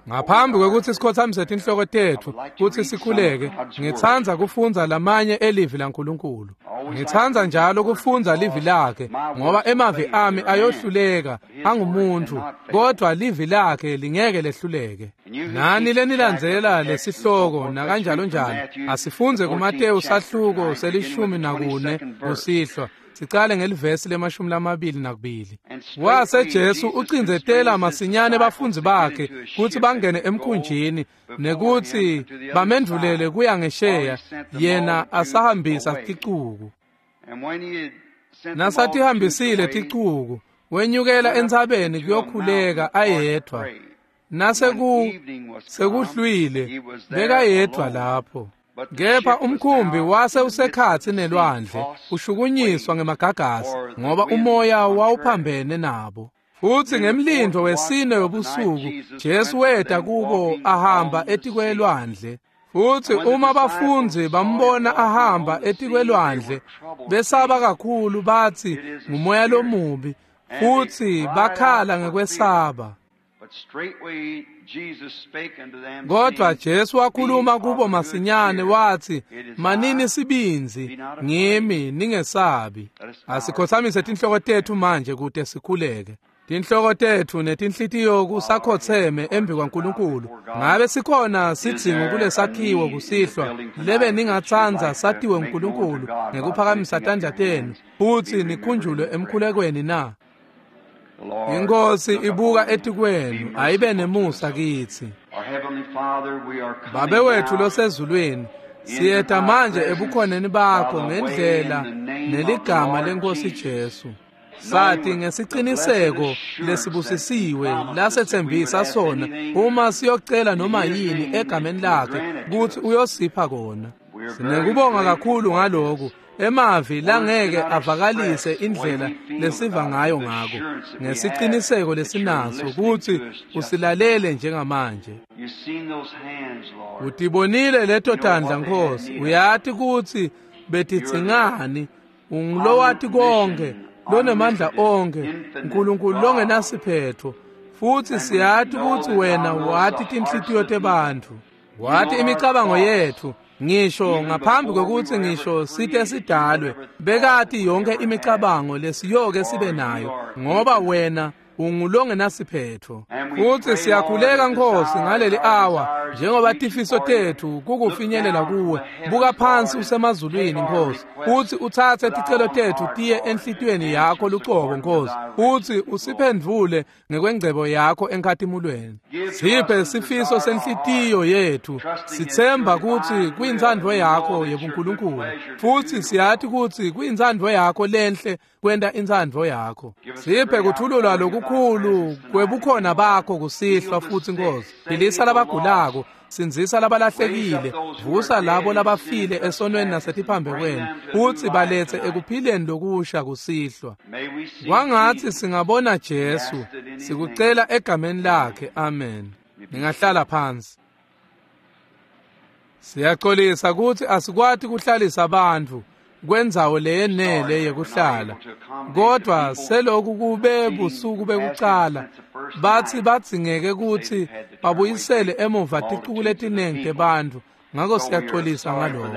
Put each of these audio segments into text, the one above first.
Ngaphambi kwekutsi sikhotsamise tinhloko tetfu kutsi sikhuleke, ngitsandza kufundza lamanye elivi laNkulunkulu. Ngitsandza njalo kufundza livi lakhe, ngoba emavi ami ayohluleka angumuntu, kodwa livi lakhe lingeke lehluleke. Nani lenilandzela lesihloko nakanjalo njalo, asifundze kuMateyu sahluko se-14 kusihlwa. Sicale ngelivesi le-22. Wase Jesu ucindzetela masinyane bafundzi bakhe kutsi bangene emkhunjini nekutsi bamendvulele kuya ngesheya, yena asahambisa ticuku. Nasatihambisile ticuku, wenyukela entsabeni kuyokhuleka ayedvwa. Nasekuhlwile bekayedvwa lapho. Kepha umkhumbi wase usekhatsi nelwandle, ushukunyiswa ngemagagasi, ngoba umoya wawuphambene nabo. Futsi ngemlindo wesine webusuku Jesu weta kubo ahamba etikwelwandle. Futsi uma bafundzi bambona ahamba etikwelwandle, besaba kakhulu, batsi ngumoya lomubi, futsi bakhala ngekwesaba. Kodwa Jesu wakhuluma kubo masinyane wathi, manini sibindzi, ngimi, ningesabi. Asikhotsamise tinhloko tetfu manje kute sikhuleke. Tinhloko tetfu netinhlitiyo kusakhotseme embi kwaNkulunkulu. Ngabe sikhona sidzingo kulesakhiwo kusihlwa lebe ningatsandza satiwe uNkulunkulu ngekuphakamisa tandla tenu futsi nikhunjulwe emkhulekweni na? Inkosi ibuka etikwenu, ayibe nemusa kitsi. Babe wethu losezulwini, siyeta manje ebukhoneni bakho ngendlela neligama lenkosi Jesu. Sathi ngesiciniseko lesibusisiwe lasethembisa sona, uma siyocela noma yini egameni lakhe kutsi uyosipha kona. Sinekubonga kakhulu ngaloku. Emavi langeke avakalise indlela lesiva ngayo ngako, ngesiciniseko lesinaso kutsi usilalele njengamanje. Utibonile leto tandla Nkosi, uyati kutsi betidzingani, ungulowati konke, lonemandla onke, Nkulunkulu longenasiphetho, futsi siyati kutsi wena wati tinhlitiyo tebantfu, wati imicabango yetfu. Ngisho ngaphambi kwekutsi ngisho site sidalwe, bekati yonke imicabango lesiyoke sibe nayo, ngoba wena ungulongenasiphetho. Futsi siyakhuleka Nkosi ngaleli awa, njengoba tifiso tetfu kukufinyelela kuwe. Buka phansi usemazulwini Nkosi, futsi utsatse ticelo tetfu tiye enhlitiyweni yakho lucobo Nkosi, futsi usiphendvule ngekwengcebo yakho enkhatimulweni. Siphe sifiso senhlitiyo yetfu, sitsemba kutsi kuyintsandvo yakho yebuNkulunkulu, futsi siyati kutsi kuyintsandvo yakho lenhle kwenta intsandvo yakho. Siphe kuthululwa lokukhulu kwebukhona bakho kusihlwa futsi Nkosi. Philisa labagulako, sindzisa labalahlekile, vusa labo labafile esonweni nasetiphambekweni, futsi baletse ekuphileni lokusha kusihlwa. Kwangatsi singabona Jesu, sikucela egameni lakhe. Amen. Ningahlala phansi. Siyaxolisa kutsi asikwati kuhlalisa bantfu kwendzawo leyenele yekuhlala, kodwa seloku kube busuku bekucala bathi badzingeke kutsi babuyisele emuva ticuku letinengi tebantfu, ngako siyaxolisa ngaloko.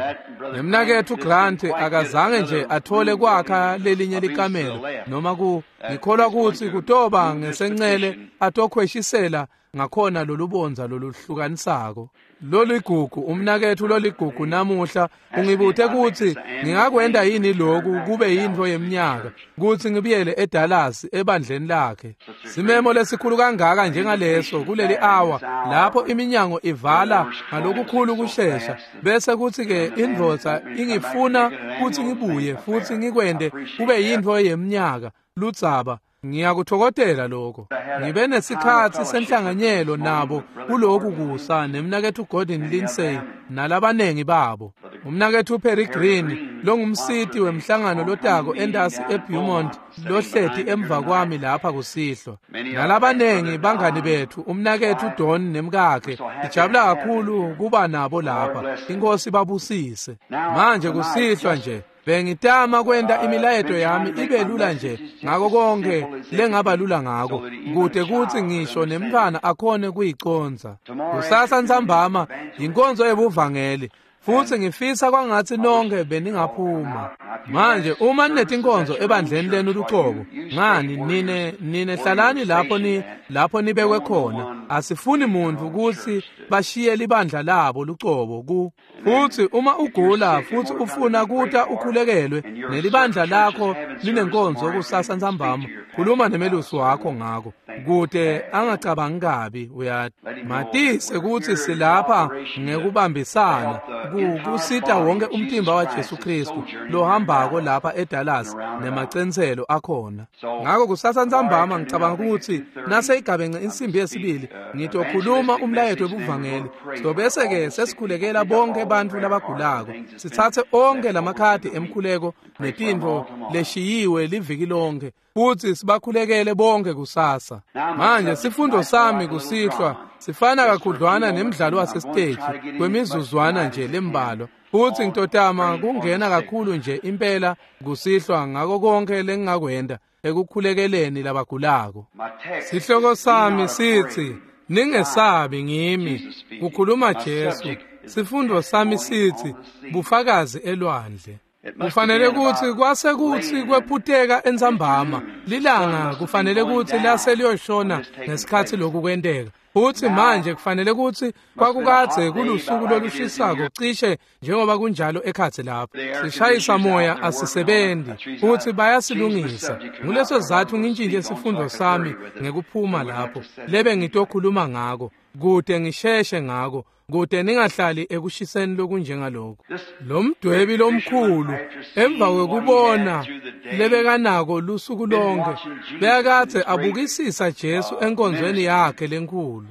Nemnaketfu Grant akazange nje athole kwakha lelinye likamelo noma ku ngikholwa kutsi kutoba ngesencele atokhweshisela ngakhona lolubondza loluhlukanisako. Loligugu umnaketfu loligugu namuhla ungibute kutsi ngingakwenta yini loku kube yintfo yeminyaka kutsi ngibuyele eDallas ebandleni lakhe. Simemo lesikhulu kangaka njengaleso kuleli awa lapho iminyango ivala ngalokukhulu kushesha, bese kutsi ke indvodza ingifuna kutsi ngibuye futsi ngikwente kube yintfo yeminyaka ludzaba. Ngiyakuthokozela lokho. Ngibe nesikhatsi senhlanganyelo nabo kuloku kusa nemnaketfu Gordon Lindsay nalabanengi babo. Umnaketfu Perry Green longumsiti wemhlangano lotako entasi eBeaumont lohleti emva kwami lapha kusihlwa. Nalabanengi bangani betfu, umnaketfu Don nemkakhe, sijabula kakhulu kuba nabo lapha. Inkosi babusise. Manje kusihlwa nje Bengitama kwenta imilayeto yami ibe lula nje ngako konke lengaba lula ngako, kute kutsi ngisho nemntfwana akhone kuyicondza. Kusasa ntsambama yinkonzo yebuvangeli, futsi ngifisa kwangatsi nonke beningaphuma. Manje uma ninetinkonzo ebandleni lenu lucobo, ngani nine hlalani lapho nibekwe khona. Asifuni muntu kutsi bashiye libandla labo lucobo ku. Futsi uma ugula futsi ufuna kuta ukhulekelwe nelibandla lakho linenkonzo kusasa ntsambama, khuluma nemelusi wakho ngako kute angacabangi kabi. Uyati, matise kutsi silapha ngekubambisana kusita wonke umtimba wa Jesu Kristu lohambako lapha eDallas nemacentselo akhona. Ngako kusasa ntsambama ngicabanga kutsi naseyigabence insimbi yesibili ngitokhuluma umlayeto webuvangeli. Sobese ke sesikhulekela bonke bantfu labagulako, sitsatse onke lamakhadi emkhuleko netintfo leshiyiwe liviki lonke, futsi sibakhulekele bonke kusasa. Manje sifundo sami kusihlwa sifana kakhudlwana nemdlalo wasesiteji kwemizuzwana nje lembalwa, futsi ngitotama kungena kakhulu nje impela kusihlwa ngako konke lengingakwenta ekukhulekeleni labagulako. Sihloko sami sitsi ningesabi ngimi, kukhuluma Jesu. Sifundo sami sitsi bufakazi elwandle. Kufanele kutsi kwase kutsi kwephuteka entsambama lilanga, kufanele kutsi lase liyoshona ngesikhatsi lokhu kwenteka. Futsi manje kufanele kutsi kwakukadze kulusuku lolushisako cishe njengoba kunjalo ekhatsi lapho. Sishayisa moya asisebenzi, futsi bayasilungisa. Nguleso sizatfu ngintshintshe sifundo sami ngekuphuma lapho lebe ngitokhuluma ngako, kute ngisheshe ngako, kute ningahlali ekushiseni lokunjengaloko. Lo mdwebi lomkhulu emva kwekubona lebekanako lusuku lonke, bekadze abukisisa Jesu enkonzweni yakhe lenkhulu.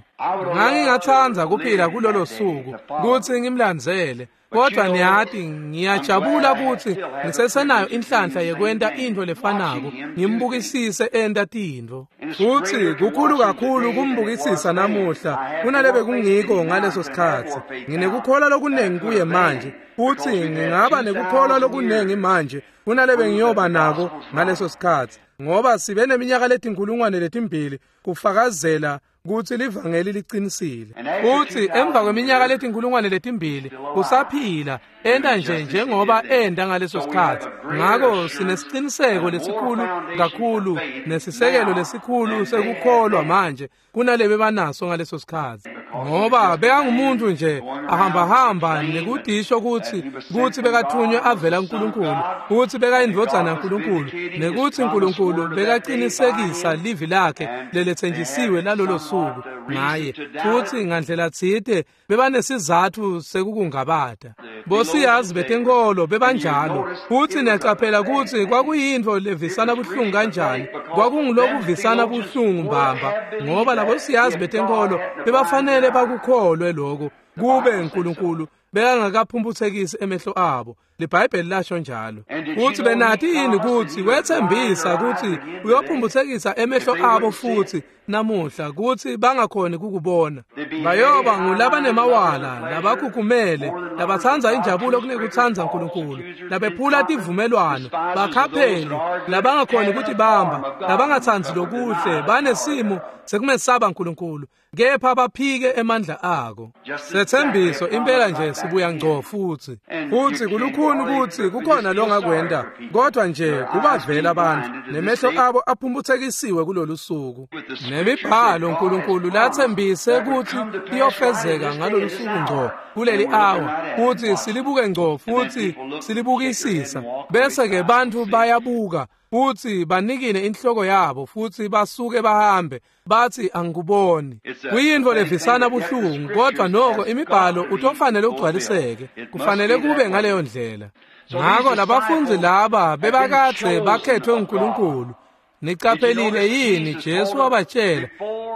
Ngangingatsandza kuphila kulolo suku kutsi ngimlandzele, kodwa niyati ngiyajabula kutsi ngisesenayo inhlanhla yekwenta intfo lefanako, ngimbukisise enta tintfo. Futsi kukhulu kakhulu kumbukisisa namuhla kunalebe kungiko ngaleso sikhatsi. Nginekukholwa lokunengi kuye manje, futsi ngingaba nekukholwa lokunengi manje kunalebe ngiyoba nako ngaleso sikhatsi, ngoba sibe neminyaka letinkhulungwane letimbili kufakazela kutsi livangeli liqinisile. Futsi emva kweminyaka letinkhulungwane letimbili usaphila enta nje njengoba enta ngaleso sikhatsi. Ngako sinesiciniseko lesikhulu kakhulu nesisekelo lesikhulu sekukholwa manje kunalebe banaso ngaleso sikhatsi, ngoba bekangumuntu nje ahambahamba nekudisho kutsi bekathunywe avela kuNkulunkulu, kutsi bekayindvodzana yaNkulunkulu, nekutsi uNkulunkulu bekaqinisekisa livi lakhe leletsenjisiwe lalolo suku ngaye. Futsi ngandlela tsite bebanesizatfu sekukungabata. Bosiyazi betenkolo bebanjalo, futsi niyaqaphela kutsi kwakuyintfo levisana buhlungu kanjani. Kwakungulokuvisana buhlungu mbamba, ngoba labosiyazi betenkolo bebafanele bakukholwe lokho kube uNkulunkulu bekangakaphumphutsekisi emehlo abo. LiBhayibheli lasho njalo. Futsi benati yini kutsi wethembisa kutsi uyophumphutsekisa emehlo abo futsi namuhla kutsi bangakhoni kukubona. Bayoba ngulabanemawala, labakhukhumele, labatsandza injabulo kunekutsandza uNkulunkulu, labephula tivumelwano, bakhapheli, labangakhoni kutibamba, labangatsandzi lokuhle, banesimo sekumesaba uNkulunkulu, kepha baphike emandla ako. Sethembiso impela nje sibuya ngco futsi. Futsi kulukhuni kutsi kukhona longakwenta, kodwa nje kubavela abantu nemehlo abo aphumphutsekisiwe kulolu suku. Nemibhalo uNkulunkulu lathembise kutsi iyofezeka ngalolu suku ngco kuleli awa, kutsi silibuke ngco futsi silibukisisa, bese ke bantfu bayabuka futsi banikine inhloko yabo futsi basuke bahambe bathi angikuboni. Kuyintfo levisana buhlungu, kodwa noko imibhalo utofanele ugcwaliseke, kufanele kube ngaleyo ndlela. Ngako labafundzi laba bebakadze bakhethwe uNkulunkulu. Niqaphelile yini Jesu wabatshela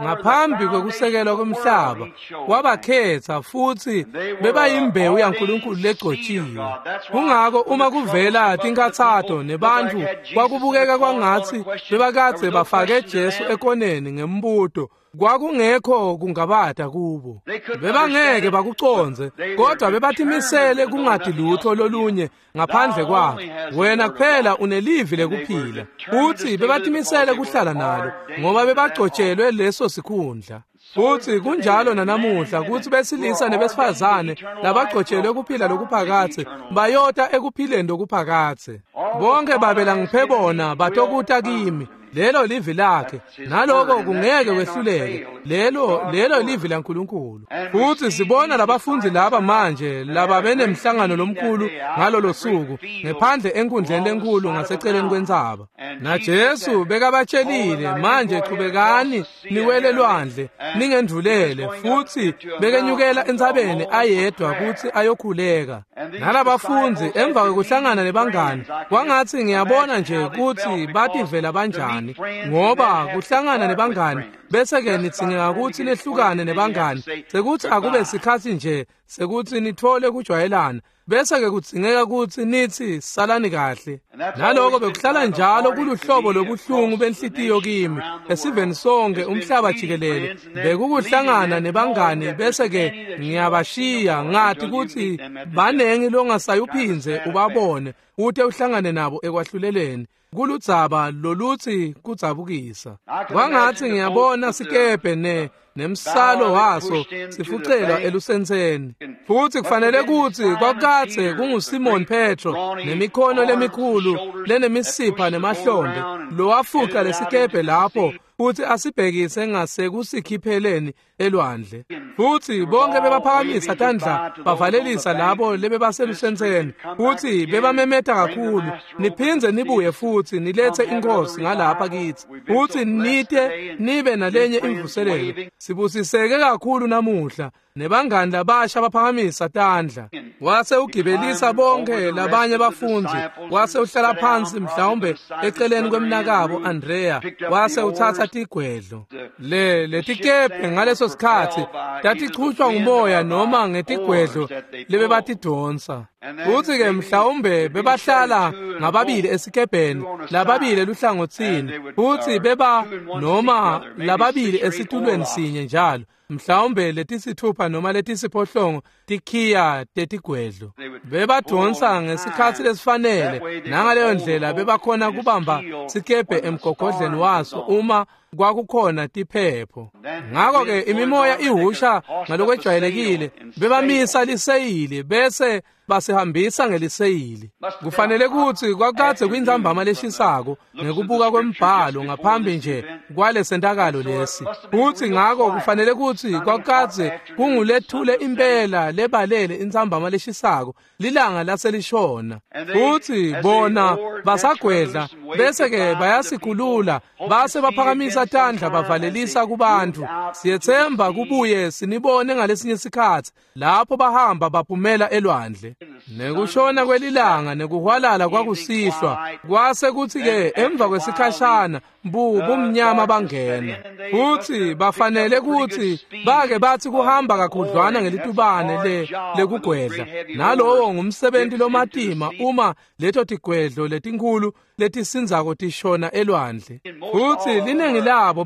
ngaphambi kwekusekelwa komhlaba, wabakhetha futsi bebayimbewu yaNkulunkulu legcotshiwe. Kungako uma kuvela tinkhatsato nebantfu kwakubukeka kwangatsi bebakadze bafake Jesu ekoneni ngembuto, Kwakungekho kungabata kubo. Bebangeke bakucondze, kodwa bebatimisele kungati lutho lolunye ngaphandle kwakho. Wena kuphela unelivi lekuphila. Futhi bebatimisele kuhlala nalo ngoba bebagcotshelwe leso sikhundla. Futhi kunjalo nanamuhla kutsi besilisa nebesifazane labagcotshelwe kuphila lokuphakathe bayota ekuphileni lokuphakathe. Bonke babela ngiphe bona batokuta kimi. Lelo livi lakhe, naloko kungeke kwehluleke. Lelo livi laNkulunkulu. Futhi sibona labafundi laba manje laba benemhlangano lomkhulu ngalolo suku ngephandle enkundleni lenkulu ngaseceleni kwentsaba. NaJesu bekabatshelile, manje chubekani niwele lwandle ningendvulele. Futhi bekenyukela entsabeni ayedwa kutsi ayokhuleka. Nalabafundi emva kwekuhlangana nebangani, kwangatsi ngiyabona nje kutsi bativela banjani, ngoba kuhlangana nebangani bese-ke nidzingeka kutsi nehlukane nebangani, sekuthi akube sikhatsi nje sekuthi nithole kujwayelana, bese-ke kudzingeka kutsi nithi salani kahle. Naloko bekuhlala njalo kuluhlobo lobuhlungu benhlitiyo kimi esiveni sonke umhlaba jikelele. Bekukuhlangana nebangani bese-ke ngiyabashiya, ngati kutsi banengi longasayuphindze ubabone ute uhlangane nabo ekwahluleleni. Kuludzaba lolutsi kudzabukisa. Kwangatsi ngiyabona sikebhe nemsalo waso sifucelwa elusentseni. Futhi kufanele kutsi kwakadze kunguSimon Petro nemikhono lemikhulu lenemisipha nemahlombe lowafuca lesikebhe lapho futhi asibhekise ngasekusikhipheleni elwandle. Futhi bonke bebaphakamisa tandla bavalelisa labo lebebaselusentseni, futhi bebamemeta kakhulu, niphindze nibuye futhi nilethe inkosi ngalapha kithi, futhi nite nibe nalenye imvuselelo. Sibusiseke kakhulu namuhla. Nebangani labasha baphakamisa tandla. Wase ugibelisa bonke labanye bafundzi, wase uhlala phansi mhlawumbe eceleni kwemnakabo Andrea, wase utsatsa tigwedlo. Letikebhe ngaleso sikhatsi tatichutjwa ngumoya noma ngetigwedlo lebebatidonsa. Futhi-ke mhlawumbe bebahlala ngababili esikebheni, lababili eluhlangotsini, futhi beba noma lababili esitulweni sinye njalo, mhlawumbe letisithupha noma letisiphohlongo tikhiya tetigwedlo. Bebadonsa ngesikhatsi lesifanele, nangaleyo ndlela bebakhona kubamba sikebhe emgogodleni waso uma kwakukhona tiphepho. Ngakho-ke imimoya ihusha ngalokwejwayelekile, bebamisa liseyili bese basihambisa ngeliseyili. Kufanele kutsi kwakadze kwintsambama leshisako ngekubuka kwembhalo ngaphambi nje kwalesentakalo lesi. Futsi ngako kufanele kutsi kwakadze kungulethule impela lebalele intsambama leshisako, lilanga laselishona. Futsi bona basagwedla bese-ke bayasikhulula, base baphakamisa tandla bavalelisa kubantu. Siyetsemba kubuye sinibone ngalesinye sikhatsi lapho bahamba baphumela elwandle. Nekushona kwelilanga nekuhwalala kwakusihlwa, kwase kutsi-ke emva kwesikhashana bumnyama bangena. Futsi bafanele kutsi bake batsi kuhamba kakhudlwana ngelitubane lekugwedla. Nalowo ngumsebenti lomatima uma leto tigwedlo letinkhulu letisindzako tishona elwandle. Futsi linengi labo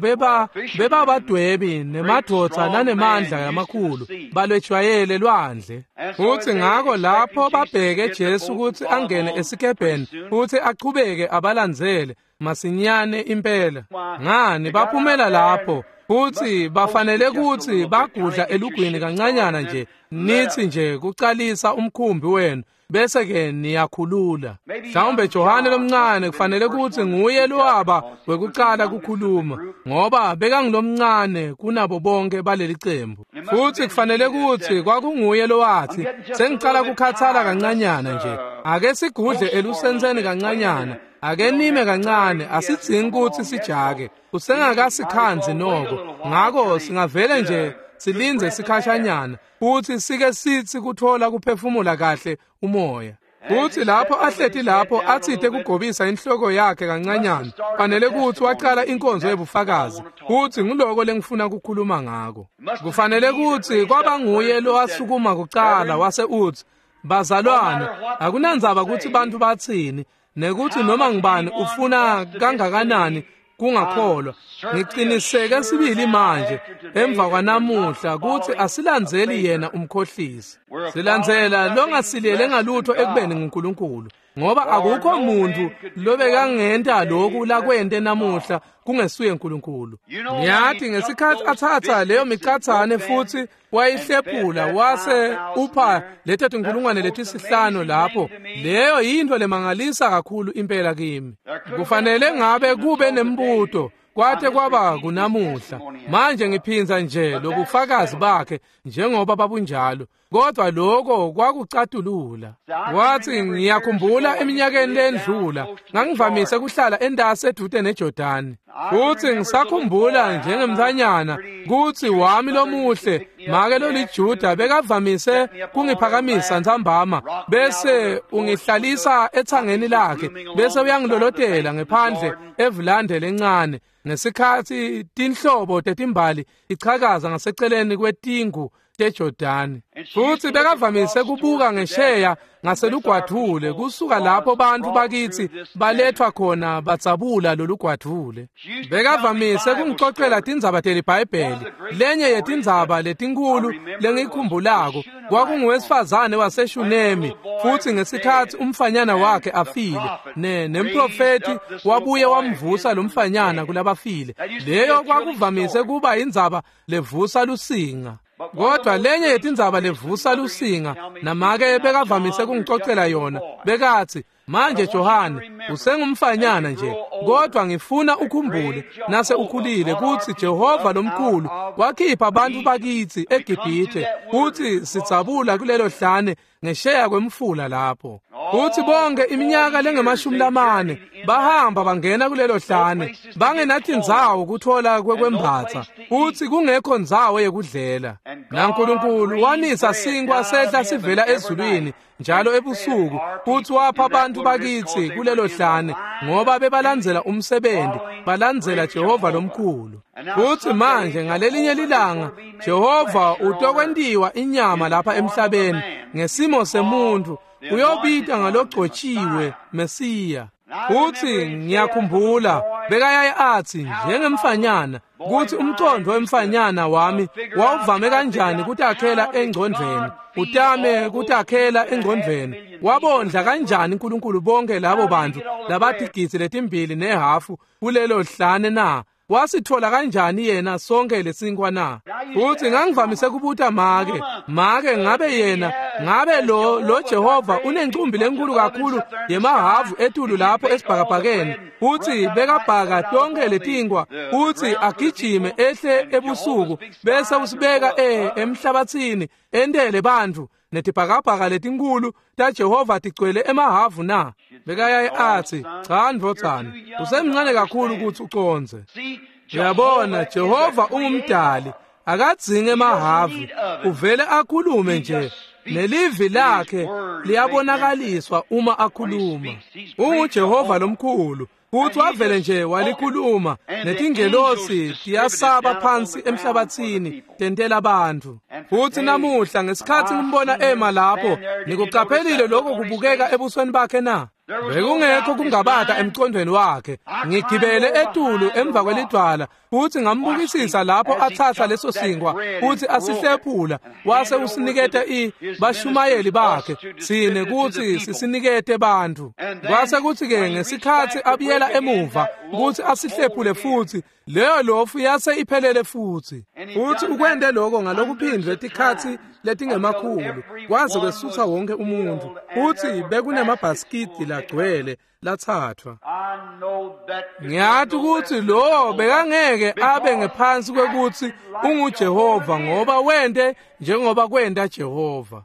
bebabadwebi nemadvodza lanemandla lamakhulu balwejwayele lwandle. Futsi ngako lapho babheke Jesu kutsi angene esikebheni futsi achubeke abalandzele masinyane impela. Ngani baphumela lapho, futhi bafanele kutsi bagudla elugwini kancanyana nje, nithi nje kucalisa umkhumbi wenu bese-ke niyakhulula. Mhlawumbe Johane lomncane kufanele kutsi nguye lowaba wekucala kukhuluma, ngoba bekangulomncane kunabo bonke baleli cembu. Futhi kufanele kutsi kwakunguye lowathi, sengicala kukhathala kancanyana nje, ake sigudle elusentseni kancanyana, ake nime kancane, asidzingi kutsi sijake, usengakasikhandzi noko, ngako singavele nje silindze sikhashanyana, futhi sike sithi kuthola kuphefumula kahle umoya. Futhi lapho ahleti lapho atsite kugobisa inhloko yakhe kancanyana, fanele kutsi wacala inkonzo yebufakazi. Futhi nguloko lengifuna kukhuluma ngako. Kufanele kutsi kwaba nguye lowasukuma kucala wase utsi, bazalwane, akunandzaba kutsi bantfu batsini, nekuthi noma ngubani ufuna kangakanani kungakholwa. Ngiciniseke sibili manje emva kwanamuhla kutsi asilandzeli yena umkhohlisi. Silandzela longasilele ngalutho ekubeni nguNkulunkulu, ngoba akukho muntu lobekangenta lokhu lakwente namuhla kungesuye uNkulunkulu. Ngiyathi ngesikhathi athatha leyo micathane futhi wayihlephula wase upha leto tinkulungwane letisihlanu lapho, leyo yinto lemangalisa kakhulu impela kimi. Kufanele ngabe kube nembuto kwate kwaba kunamuhla. Manje ngiphinza nje lobufakazi bakhe njengoba babunjalo, kodwa lokho kwakucatulula. Wathi, ngiyakhumbula eminyakeni lendlula ngangivamise kuhlala entasi edude neJordani, futhi ngisakhumbula njengemntanyana kutsi wami lomuhle make loliJuda bekavamise kungiphakamisa ntsambama bese ungihlalisa ethangeni lakhe bese uyangilolotela ngephandle evulande lencane ngesikhathi tinhlobo tetimbali ichakaza ngaseceleni kwetingu teJordani. Futhi bekavamise kubuka ngesheya ngaselugwadvule kusuka lapho bantu bakithi balethwa khona batsabula lolugwadvule. Bekavamise kungixoxela tindzaba teliBhayibheli. Lenye yetindzaba letinkulu lengikhumbulako kwakunguwesifazane waseShunemi, futhi ngesikhathi umfanyana wakhe afile nemprofethi wabuye wamvusa lomfanyana kulabafile. Leyo kwakuvamise kuba indzaba levusa lusinga. Kodwa lenye yetindzaba levusa lusinga namake bekavamise kungixoxela yona, bekathi, manje Johane usengumfanyana nje, kodwa ngifuna ukhumbule nase ukhulile kutsi Jehova lomkhulu wakhipha abantu bakithi eGibhithe futhi sidzabula kulelo hlane ngesheya kwemfula lapho. Futhi bonke iminyaka lengemashumi lamane bahamba bangena kulelo hlane bangenatindzawo kuthola kwekwembatsa futhi kungekho ndzawo yekudlela. NaNkulunkulu wanisa sinkwa sehla sivela ezulwini njalo ebusuku futhi wapha abantu bakithi kulelo hlane ngoba bebalandzela umsebenzi, balandzela Jehova lomkhulu. Futhi manje ngalelinye lilanga Jehova utokwentiwa inyama lapha emhlabeni ngesimo semuntu, uyobita ngalogcotshiwe Mesiya. Futhi ngiyakhumbula bekayaye athi njengemfanyana kutsi umcondvo wemfanyana wami wawuvame kanjani kutakhela engcondvweni, utame kutakhela engcondvweni. Wabondla kanjani uNkulunkulu bonke labo bantu labatigidzi letimbili nehafu kulelo hlane na? Wasithola kanjani yena sonke lesinkwa na? Futhi ngangivamise kubuta make, make ngabe yena, ngabe lo Jehova unencumbi lenkulu kakhulu yemahavu etulu lapho esibhakabhakeni, futhi bekabhaka tonke letinkwa futhi agijime ehle ebusuku bese usibeka emhlabathini entele bantfu netibhakabhaka letinkulu taJehova tigcwele emahavu na? Bekayaye athi, cha ndvodzana, usemncane kakhulu kutsi ucondze. Uyabona, Jehova ungumdali, akadzingi emahavu, uvele akhulume nje nelivi lakhe liyabonakaliswa uma akhuluma. UnguJehova lomkhulu, futhi wavele nje walikhuluma netingelosi tiyasaba phansi emhlabathini tentela abantu. Futhi namuhla ngesikhathi ngimbona ema lapho, nikuqaphelile lokho kubukeka ebusweni bakhe na? Bekungekho kungabata emcondweni wakhe. Ngigibele etulu emva kwelidwala futhi ngambukisisa lapho athatha leso sinkwa futhi asihlephula wase usiniketa bashumayeli bakhe sine kutsi sisinikete bantfu. Kwase kutsi-ke ngesikhathi abuyela emuva kutsi asihlephule futhi, leyo lofu yase iphelele futhi. Futhi ukwente lokho ngalokuphindwe tikhatsi letingemakhulu kwaze kwesutha wonke umuntu, futhi bekunemabhasikidi lagcwele lathathwa. Ngiyathi ukuthi lo bekangeke abe ngephansi kwekutsi unguJehova ngoba wente njengoba kwenta Jehova.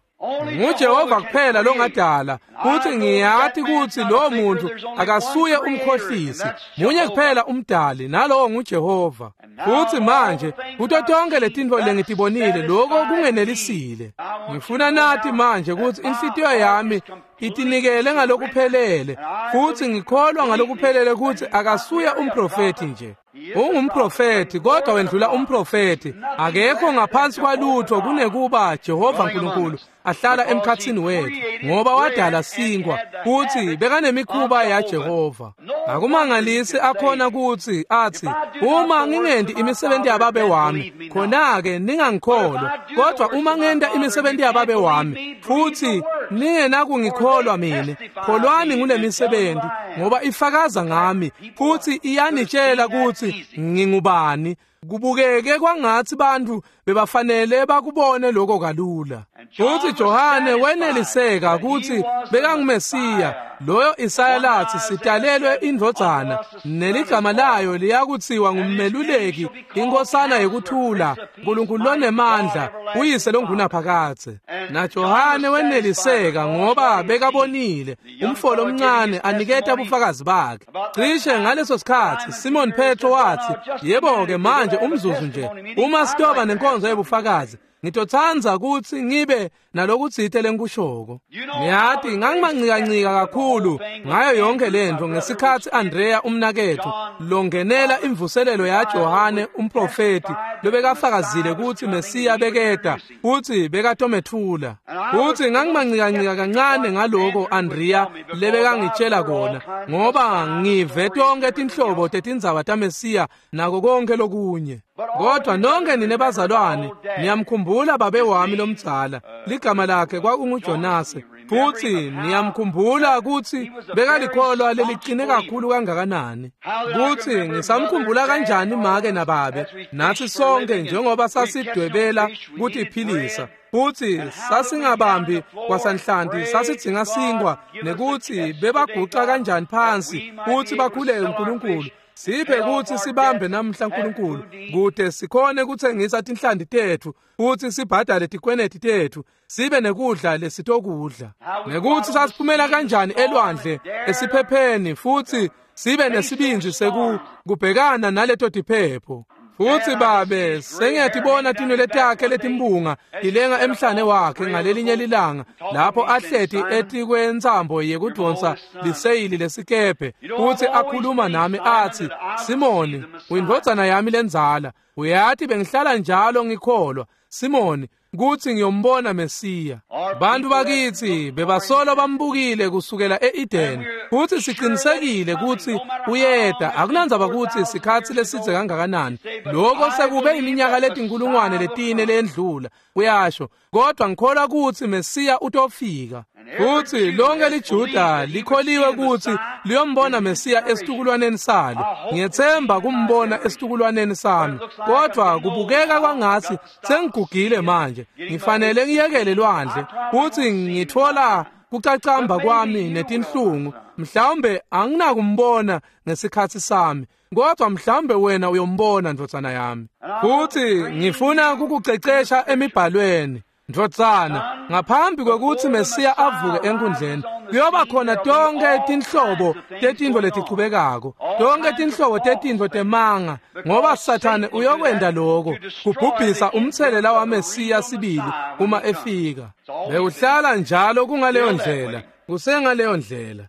NguJehova kuphela longadala, futhi ngiyathi kutsi lo muntu akasuye umkhohlisi, munye kuphela umdali, nalowo nguJehova. Futhi manje kuto tonke letintfo lengitibonile lokho kungenelisile. Ngifuna nathi manje kutsi inhlitiyo yami itinikele ngalokuphelele, futhi ngikholwa ngalokuphelele kutsi akasuye umprofethi nje. Ungumprofethi, kodwa wendlula umprofethi. Akekho ngaphansi kwalutho kunekuba Jehova Nkulunkulu ahlala emkhatsini wethu, ngoba wadala sinkwa futhi bekanemikhuba yaJehova. Akumangalisi akhona kutsi athi, uma ngingendi imisebenzi yababe wami, khona-ke ningangikholwa. Kodwa uma ngenta imisebenzi yababe wami futhi ningenakungikholwa mina, kholwani ngule misebenzi, ngoba ifakaza ngami futhi iyanitshela kutsi ngingubani. Kubukeke kwangathi bantu bebafanele bakubone lokho kalula. Futhi Johane weneliseka kutsi bekanguMesiya, loyo Isaya lathi sitalelwe indvodzana, neligama layo liyakutsiwa ngummeluleki, inkosana yekuthula, Nkulunkulu lonemandla, uyise longunaphakadze. Na Johane weneliseka ngoba bekabonile umfo lomncane aniketa bufakazi bakhe. Cishe ngaleso sikhatsi Simon Petro wathi, yebo-ke manje umzuzu nje, uma sitoba nenkonzo yebufakazi, ngitotsanza kutsi ngibe nalokutsite lengikushoko. Ngiyati ngangimancikancika kakhulu ngayo yonke lentfo ngesikhatsi Andrea umnaketfu longenela imvuselelo yaJohane umprofethi lobekafakazile kutsi Mesiya beketa futsi bekatomethula. Futsi ngangimancikancika kancane ngaloko Andrea lebekangitshela kona, ngoba ngive tonke tinhlobo tetindzaba taMesiya nako konke lokunye. Kodwa nonke nine bazalwane niyamkhumbula babe wami lomdzala, ligama lakhe kwakunguJonase, futhi niyamkhumbula kutsi bekalikholwa leliqine kakhulu kangakanani. Kutsi ngisamkhumbula kanjani make nababe nathi sonke njengoba sasidwebela kutiphilisa, futhi sasingabambi kwasanhlanti, sasidzinga sinkwa, nekutsi bebaguca kanjani phansi futhi bakhuleke uNkulunkulu. Siphe kutsi sibambe namhla Nkulunkulu, kute sikhone kutsengisa tinhlanti tetfu futhi sibhadale tikweneti tetfu, sibe nekudla lesitokudla. Nekutsi sasiphumela kanjani elwandle esiphepheni futhi sibe nesibindzi sekubhekana naleto tiphepho. Futhi babe sengiyatibona tinwele takhe letimbunga tilenga emhlane wakhe ngalelinye lilanga lapho ahleti etikwentsambo yekudvonsa liseyili lesikebhe, futhi akhuluma nami athi, Simoni, uyindvodzana yami lendzala, uyati bengihlala njalo ngikholwa, Simoni, kutsi ngiyombona Mesiya. Bantu bakithi bebasolo bambukile kusukela e-Edeni, futhi sicinisekile kutsi uyeta. Akunandzaba kutsi sikhatsi lesidze kangakanani, lokho sekube iminyaka letinkulungwane letine lendlula, uyasho, kodwa ngikholwa kutsi Mesiya utofika. Futhi lonke liJuda likholiwe kutsi liyombona Mesiya esitukulwaneni salo. Ngiyethemba kumbona esitukulwaneni sami, kodwa kubukeka kwangathi sengigugile manje, ngifanele ngiyekele lwandle, futhi ngithola kucacamba kwami netinhlungu. Mhlawumbe anginakumbona ngesikhatsi sami, kodwa mhlawumbe wena uyombona, ndvodzana yami. Futhi ngifuna kukucecesha emibhalweni, ndvodzana, ngaphambi kwekutsi Mesiya avuke enkundleni, kuyoba khona tonke tinhlobo tetintfo letichubekako, tonke tinhlobo tetintfo temanga, ngoba Sathane uyokwenta lokho kubhubhisa umthelela waMesiya sibili uma efika. Bekuhlala njalo kungaleyo ndlela, kusengaleyo ndlela.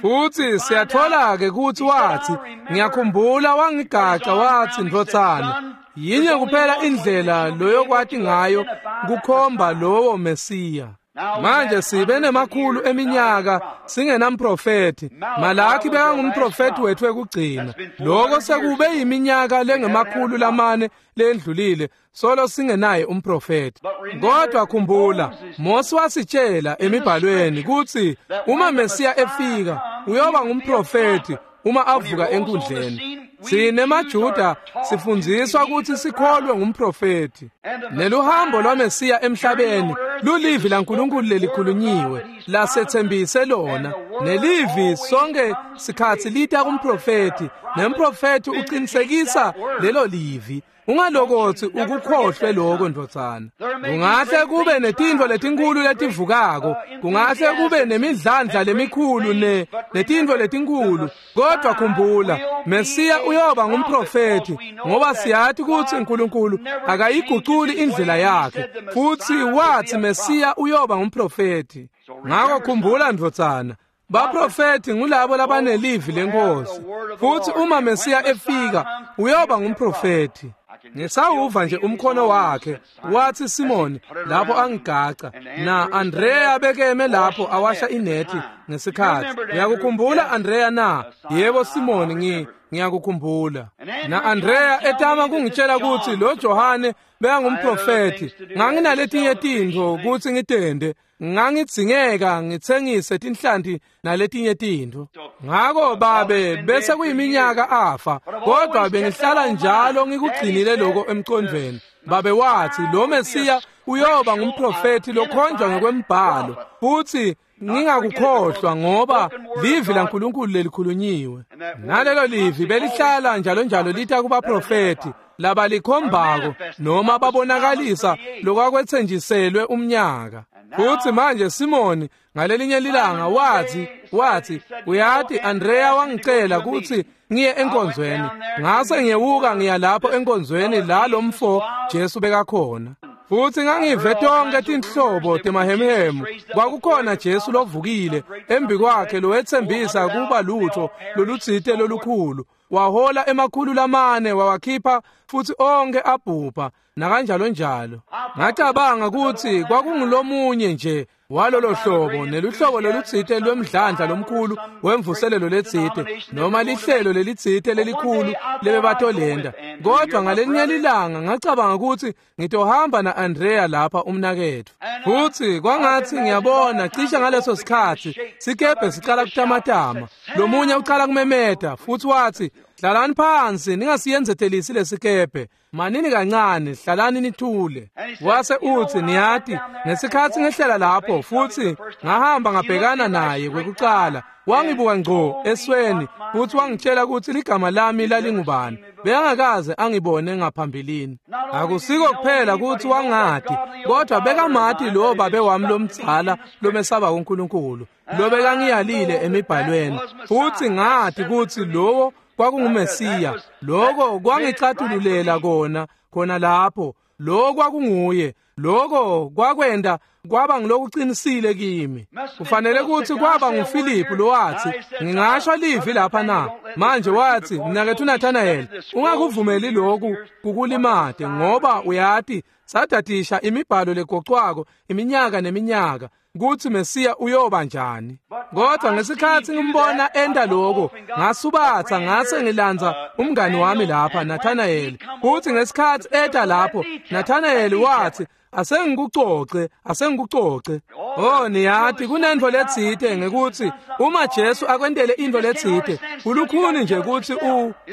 Futhi siyathola-ke kutsi wathi, ngiyakhumbula wangigaca wathi, ndvodzana, yinye kuphela indlela loyokwati ngayo kukhomba lowo Mesiya. Manje sibe nemakhulu eminyaka singenamprofethi. Malaki bekangumprofethi wethu wekugcina. Lokho sekube yiminyaka lengemakhulu lamane lendlulile solo singenaye umprofethi. Kodwa khumbula, Mose wasitshela emibhalweni kutsi uma Mesiya efika uyoba ngumprofethi uma avuka enkundleni. Sine maJuda sifundziswa kutsi sikholwe ngumprofethi. Neluhambo lwaMesiya emhlabeni lulivi laNkulunkulu lelikhulunyiwe lasethembise lona. Nelivi sonke sikhatsi lita kumprofethi, nemprofethi uqinisekisa lelo livi. Ungalokothi ukukhohlwe lokho, ndvodzana. Kungahle kube netintfo letinkulu letivukako, kungahle kube nemidlandla lemikhulu netintfo letinkulu, kodwa khumbula, Mesiya uyoba ngumprofethi, ngoba siyati kutsi uNkulunkulu akayiguculi indlela yakhe, futhi wathi Mesiya uyoba ngumprofethi. Ngakho khumbula, ndvodzana, Baprofethi ngulabo labanelivi lenkosi, futhi uma Mesiya efika uyoba ngumprofethi. Ngisawuva nje umkhono wakhe wathi, Simoni, lapho angigaca na Andrea bekeme lapho awasha inethi ngesikhathi. Uyakukhumbula Andrea na? Yebo Simoni, ngiyakukhumbula. Na Andrea etama kungitshela ukuthi lo Johane bekangumprofethi. Nganginaletinye tintfo kutsi ngitende, ngangidzingeka ngitsengise tinhlanti naletinye tintfo. Ngako babe bese kuyiminyaka afa, kodwa bengihlala njalo ngikugcinile lokho emqondweni. Babe wathi lo Mesiya uyoba ngumprofethi lokhonjwa ngokwembhalo, futhi ngingakukhohlwa ngoba livi laNkulunkulu lelikhulunyiwe. Nalelo livi belihlala njalo njalo lita kubaprofethi labalikhombako noma babonakalisa lokwakuthenjiselwe umnyaka. Futhi manje Simoni ngalelinye lilanga wathi uyati, Andrea wangicela ukuthi ngiye enkonzweni. Ngase ngiyewuka ngiya lapho enkonzweni la lo mfo Jesu bekakhona. Futhi ngangive tonke tinhlobo temahemhemu. Kwakukhona Jesu lovukile embi kwakhe lowethembisa kuba lutho lolutsite lolukhulu. Wahola 400 wawakhipha futhi onke abhubha nakanjalo njalo. Ngacabanga ukuthi kwakungulomunye nje walolo hlobo neluhlobo lolutsite lwemdlandla lomkhulu wemvuselelo letsite noma lihlelo lelitsite lelikhulu lebebatolenda. Kodwa ngalelinye lilanga ngacabanga ukuthi ngitohamba na-Andrea lapha umnaketfu. Futhi kwangathi ngiyabona cishe ngaleso sikhathi sikebhe sicala kutamatama, lomunye ucala kumemeta futhi wathi, hlalani phansi, ningasiyenzetelisi lesikebhe, manini kancane, hlalani nithule. Wase uthi, niyati, ngesikhathi ngehlela lapho futhi ngahamba ngabhekana naye kwekucala, wangibuka ngco esweni futhi wangitshela ukuthi ligama lami lalingubani. Bekangakaze angibone ngaphambilini. Akusiko kuphela ukuthi wangati, kodwa bekamati lo babe wami lomdzala lomesaba uNkulunkulu, lo bekangiyalile emibhalweni. Futhi ngati ukuthi lowo kwakunguMesiya. Lokho kwangicatululela kona lapho. Lokho kwakunguye. Lokho kwakwenda kwaba ngilokuqinisile kimi. Kufanele ukuthi kwaba nguFilipu lowathi, ngingasho livi lapha na? Manje wathi, mnakethu Nathanael, ungakuvumeli lokhu kukulimate, ngoba uyati sadadisha imibhalo legocwako iminyaka neminyaka kuthi Mesiya uyoba njani. Kodwa ngesikhathi ngimbona enda lokho, ngasubatha ngase ngilanza umngani wami lapha Nathanael. Kuthi ngesikhathi eta lapho, Nathanael wathi, asengikucoce, asengikucoce. Oh, niyati kunento letsite ngekuthi uma Jesu akwentele into letsite, ulukhuni nje ukuthi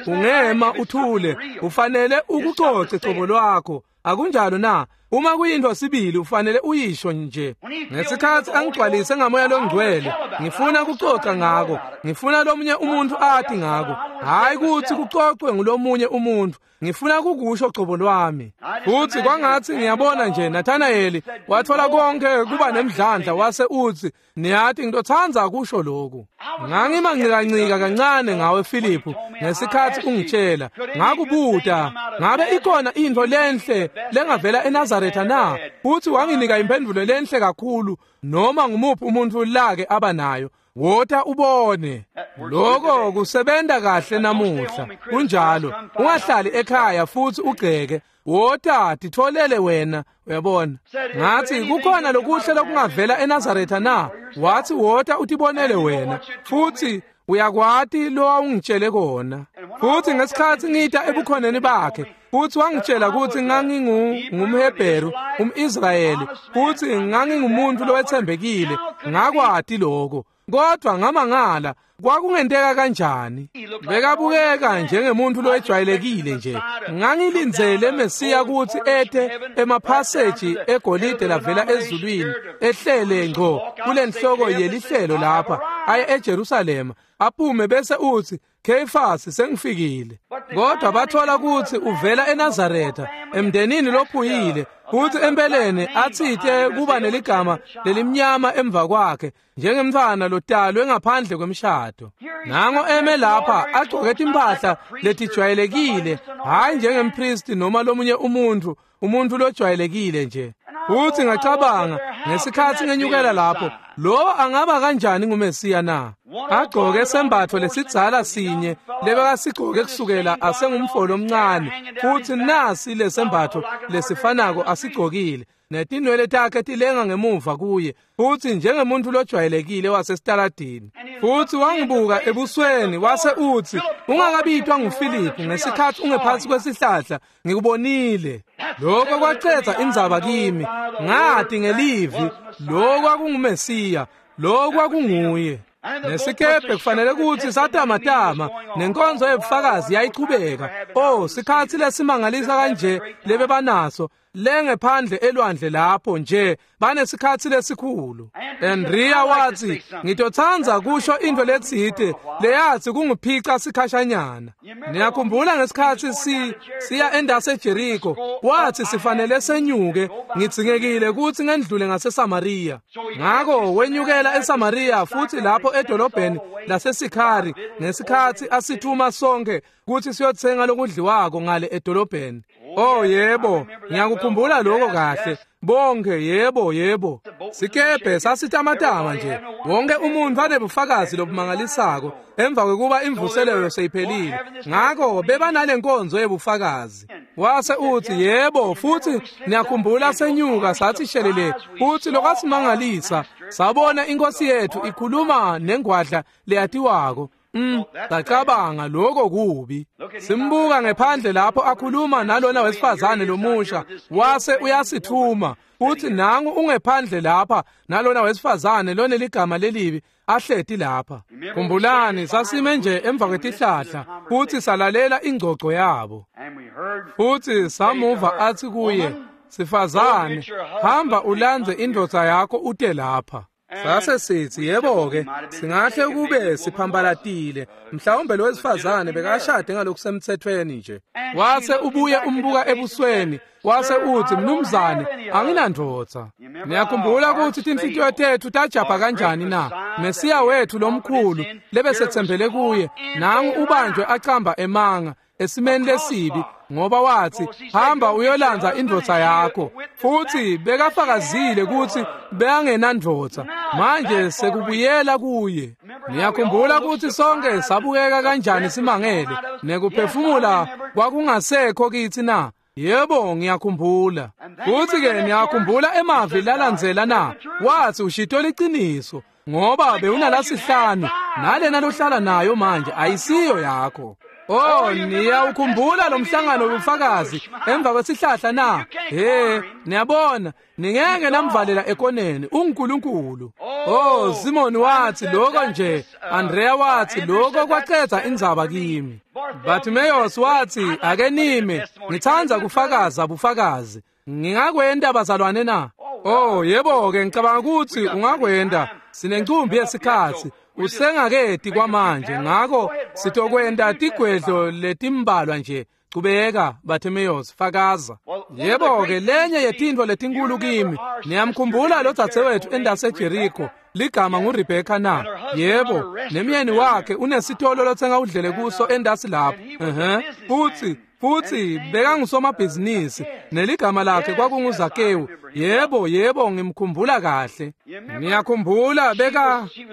ungema uthule, ufanele ukucoce cobo lwakho. Akunjalo na? Uma kuyinto sibili ufanele uyisho nje. Ngesikhathi angigcwalise ngamoya longcwele, ngifuna kucoca ngako, ngifuna lomunye umuntu athi ngako, hayi ukuthi kucocwe ngulomunye umuntu, ngifuna kukusho cobo lwami. Futhi kwangathi ngiyabona nje Nathanael wathola konke kuba nemdlandla wase uthi, niyati ngitothandza kusho lokhu. Ngangimanqikancika kancane ngawe Philip ngesikhathi ungitshela, ngakubuta ngabe ikhona into lenhle lengavela eNazaretha na? Futhi wanginika impendulo lenhle kakhulu noma ngumuphi umuntu lake abanayo. Wota ubone. Lokho kusebenta kahle namuhla. Kunjalo, ungahlali ekhaya futhi ugceke. Wota titholele wena, uyabona. Ngathi kukhona lokuhle lokungavela eNazaretha na? Wathi wota utibonele wena. Futhi uyakwati lo awungitshele kona. Futhi ngesikhathi ngita ebukhoneni bakhe, futhi wangitshela ukuthi ngangingumHebheru, umIsrayeli, futhi ngangingumuntu lowethembekile. Ngakwati lokho. Kodwa ngamangala, kwakungenteka kanjani? Bekabukeka njengemuntu lowejwayelekile nje. Ngangilindzele Mesiya ukuthi ete emaphaseji egolide lavela ezulwini, ehlele ngco kulenhloko yelihlelo lapha, aye eJerusalema, aphume bese uthi, Kheyifasi sengifikile. Kodwa bathola ukuthi uvela eNazaretha, emndenini lophuyile, futhi empeleni athite kuba neligama lelimnyama emva kwakhe, njengemntfwana lotalwe ngaphandle kwemshado. Nango eme lapha agcoke timpahla letijwayelekile, hhayi njengempristi noma lomunye umuntu, umuntu lojwayelekile nje. Futhi ngacabanga, Ngesikhatsi ngenyukela lapho, lo angaba kanjani nguMesiya na? Agcoke sembatfo lesidzala sinye lebekasigcoke kusukela asengumfolo omncane, futsi nasi lesembatfo lesifanako asigcokile, netinwele takhe tilenga ngemuva kuye, futsi njengemuntu lojwayelekile wasesitaladini. Futsi wangibuka ebusweni wase utsi, ungakabitwa nguFiliphu ngesikhatsi ungephansi kwesihlahla, ngikubonile. Lokho kwacedza indzaba kimi. Ngati ngelivi, lokho kwakunguMesiya, lokho kwakunguye. Nesikebhe kufanele kutsi satamatama, nenkonzo yebufakazi yayichubeka. Oh, sikhatsi lesimangalisa kanje lebebanaso lengephandle elwandle lapho nje banesikhatsi lesikhulu. Andrea watsi, ngitotsandza kusho into letsite leyathi kungiphica sikhashanyana. Niyakhumbula ngesikhatsi siya endase eJeriko, wathi sifanele senyuke, ngidzingekile kutsi ngendlule ngaseSamaria. Ngako wenyukela eSamaria futhi lapho edolobheni laseSikhari ngesikhatsi asithuma sonke kutsi siyotsenga lokudliwako ngale edolobheni. Oh yebo, ngiyakukhumbula lokho kahle. Bonke yebo yebo. Sikebhe sasitamatama nje. Wonke umuntu anebufakazi lobumangalisako emva kwekuba imvuselelo seyiphelile. Ngako bebanale nkonzo yebufakazi. Wase uthi yebo, futhi niyakhumbula senyuka sathi shelele, futhi lokwasimangalisa sabona inkosi yethu ikhuluma nengwadla leyatiwako. Ngacabanga lokho kubi. Simbuka ngephandle lapho akhuluma nalona wesifazane lomusha, wase uyasithuma uthi nangu ungephandle lapha nalona wesifazane loneligama lelibi ahleti lapha. Khumbulani sasime nje emva kwetihlahla futhi salalela ingcoco yabo. Futhi samuva athi kuye, sifazane, hamba ulandze indvodza yakho ute lapha. Sase sithi yebo-ke, singahle kube siphambalatile, mhlawumbe lo wesifazane bekashade ngalokusemthethweni nje. Wase ubuye umbuka ebusweni, wase uthi, mnumzane, anginandvodza. Niyakhumbula ukuthi tinhlitiyo tethu tajabha kanjani na? Mesiya wethu lomkhulu lebesethembele kuye, nangu ubanjwe acamba emanga esimeni lesibi, ngoba wathi hamba uyolandza indvodza yakho, futhi bekafakazile ukuthi bekangenandvodza. Manje sekubuyela kuye. Niyakhumbula ukuthi sonke sabukeka kanjani simangele, nekuphefumula kwakungasekho kithi na? Yebo, ngiyakhumbula. Futhi ke niyakhumbula emavi lalandzela na? Wathi ushito liciniso, ngoba bewunalasihlanu nalena lohlala nayo manje ayisiyo yakho. Oh, niyawukhumbula lo mhlangano wobufakazi emva kwesihlahla na? He, niyabona, ningeke namvalela ekoneni, unguNkulunkulu. Oh, Simon wathi lokho nje, Andrea wathi lokho kwacedza indzaba kimi. Bartimaeus wathi ake nime, ngithanda kufakaza bufakazi. Ngingakwenda bazalwane na? Oh, yebo-ke ngicabanga ukuthi ungakwenda. Sinencumbi yesikhatsi. Usengaketi kwamanje, ngako sitokwenda tigwedlo letimbalwa nje. Chubeka Bartimaeus, fakaza. Yebo-ke lenye yetintfo letinkulu kimi. Niyamkhumbula lo dzadzewethu endase Jericho, ligama nguRebecca na? Yebo, nemyeni wakhe unesitolo lotsenga udlele kuso endasi lapho. Futhi bekangusomabhizinisi, neligama lakhe kwakunguZakewu. Yebo, yebo, ngimkhumbula kahle. Ngiyakhumbula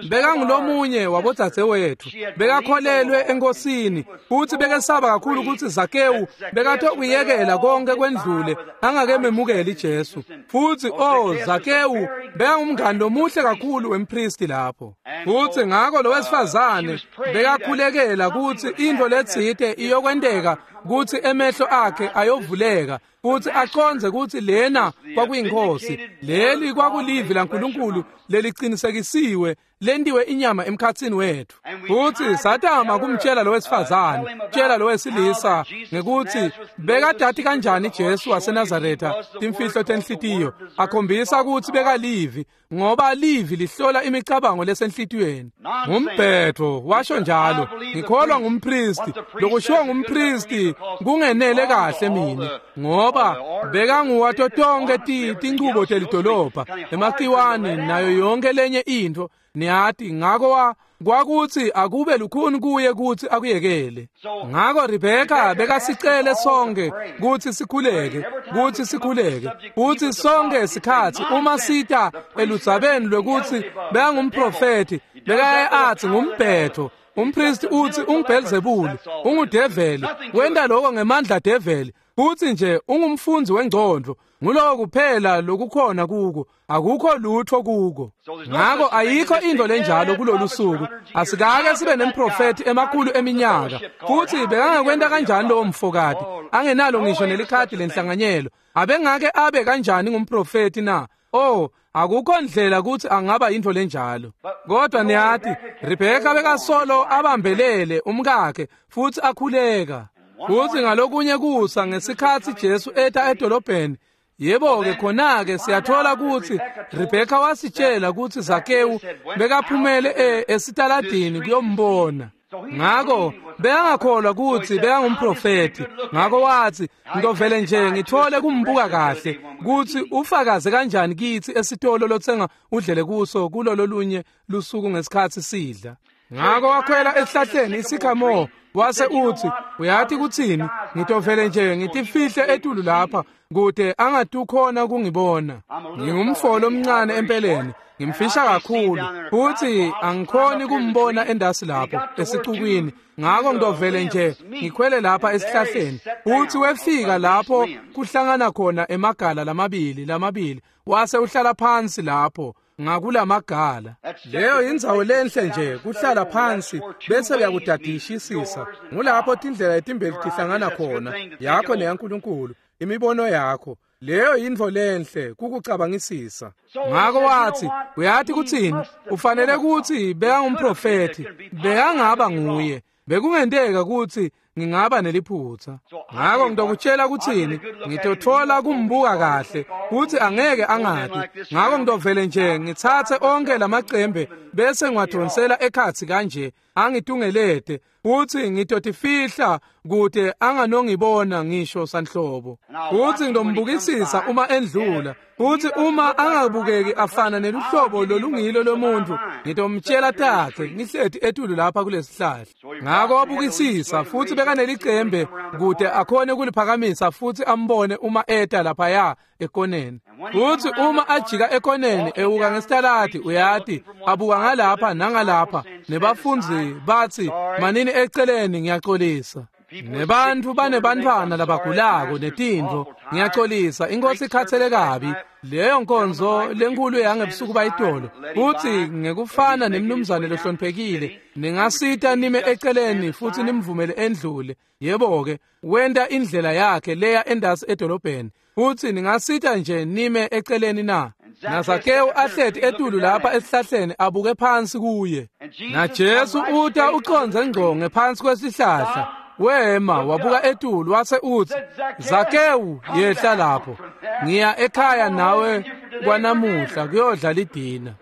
bekangulomunye wabodzadzewethu. Bekakholelwe enkosini, futhi bekesaba kakhulu ukuthi Zakewu bekatokuyekela konke kwendlule angakememukeli Jesu. Futhi oh, Zakewu bekangumngani lomuhle kakhulu wempristi lapho. Futhi ngakho lo wesifazane bekakhulekela ukuthi into letsite iyokwenteka, kuthi emehlo akhe ayovuleka futhi aqondze ukuthi lena kwakuyinkosi, leli kwakulivi laNkulunkulu lelicinisekisiwe lentiwe inyama emkhatsini wethu. Futhi satama kumtshela lo wesifazane, tshela lo wesilisa ngekuthi bekadati kanjani Jesu waseNazaretha timfihlo tenhlitiyo, akhombisa ukuthi bekalivi, ngoba livi lihlola imicabango lesenhlitiyweni. Ngumbhetho washo njalo, ngikholwa ngumpristi, lokushiwo ngumpristi kungenele kahle mina, ngoba bekanguwato tonke tinchubo telidolobha, emakiwane nayo yonke lenye into. Niyati, ngako Kwakuthi akube lukhuni kuye kuthi akuyekele. Ngako Rebeka bekasicele sonke kuthi sikhuleke, kuthi sikhuleke. Futhi sonke isikhathi uma sita eludzabeni lwekuthi bekangumprofeti, bekaye athi ngumbhetho. Umpristi uthi unguBelzebuli, ungudeveli, wenta lokho ngemandla develi. Futhi nje ungumfundzi wengcondvo, nguloko kuphela lokukhona kuko, akukho lutho kuko. Ngako ayikho into lenjalo kulolu suku. Asikake sibe nemprofeti emakhulu eminyaka. Futhi bekangakwenta kanjani lowo mfokati angenalo ngisho nelikhadi lenhlanganyelo? Abengake abe kanjani ngumprofeti na? Oh, akukho ndlela ukuthi angaba into lenjalo. Kodwa niyati, Rebeka bekasolo abambelele umkakhe futhi akhuleka. Futhi ngalokunye kusa ngesikhathi Jesu eta edolobheni, yebo-ke khona-ke siyathola ukuthi Rebeka wasitshela ukuthi Zakewu bekaphumele esitaladini kuyombona. Ngako bekangakholwa ukuthi bekangumprofeti. Ngako wathi, ngizovele nje ngithole kumbuka kahle ukuthi ufakaze kanjani kithi esitolo lothenga udlele kuso kulolo lunye lusuku ngesikhathi sidla. Ngako wakhwela esihlahleni isikhamo wase uthi, uyathi kuthini, ngitovele nje ngitifihle etulu lapha kude angatukhona kungibona. Ngingumfolo omncane empeleni, ngimfisha kakhulu futhi angikhoni kumbona endasi lapho esicukwini. Ngako ngitovele nje ngikhwele lapha esihlahleni. Futhi wefika lapho kuhlangana khona emagala lamabili wase uhlala phansi lapho ngakulamagala. Leyo indzawo lenhle nje kuhlala phansi bese uyakudadishisisa. Ngulapho tindlela letimbili tihlangana khona, yakho neyaNkulunkulu, imibono yakho. Leyo yintfo lenhle kukucabangisisa. Ngako wathi, uyathi kuthini, ufanele ukuthi bekangumprofeti, bekangaba nguye. Bekungenteka ukuthi ngingaba neliphutha. Ngako ngitokutshela kuthini, ngitothola kumbuka kahle kuthi angeke angati. Ngako ngitovele nje ngithathe onke lamacembe bese ngiwadonsela ekhatsi kanje angitungelete, futhi ngitotifihla kude anganongibona ngisho sanhlobo. Futhi ngitombukisisa uma endlula, futhi uma angabukeki afana neluhlobo lolungilo lomuntu, ngitomtshela takhe ngihleti etulu lapha kulesihlahla. Ngako wabukisisa futhi bekanelicembe kude akhone kuliphakamisa futhi ambone uma eta laphaya ekoneni. Futhi uma ajika ekoneni ewuka ngesitaladi, uyati, abuka ngalapha nangalapha, nebafundzi bathi, manini eceleni, ngiyaxolisa. Nebantu banebantwana labagulako netintfo, ngiyaxolisa, inkosi ikhathele kabi. Leyo nkonzo lenkulu yangebusuku bayitolo. Futhi ngekufana nemnumzane lohloniphekile, ningasita nime eceleni futhi nimvumele endlule. Yebo-ke, wenta indlela yakhe leya endasi edolobheni. Futhi ningasita nje nime eceleni na? NaZakewu ahleti etulu lapha esihlahleni abuke phansi kuye. NaJesu uta uconze ngco ngephansi kwesihlahla. Wema wabuka etulu wase uthi, Zakewu, yehla lapho, ngiya ekhaya nawe kwanamuhla kuyodla lidina.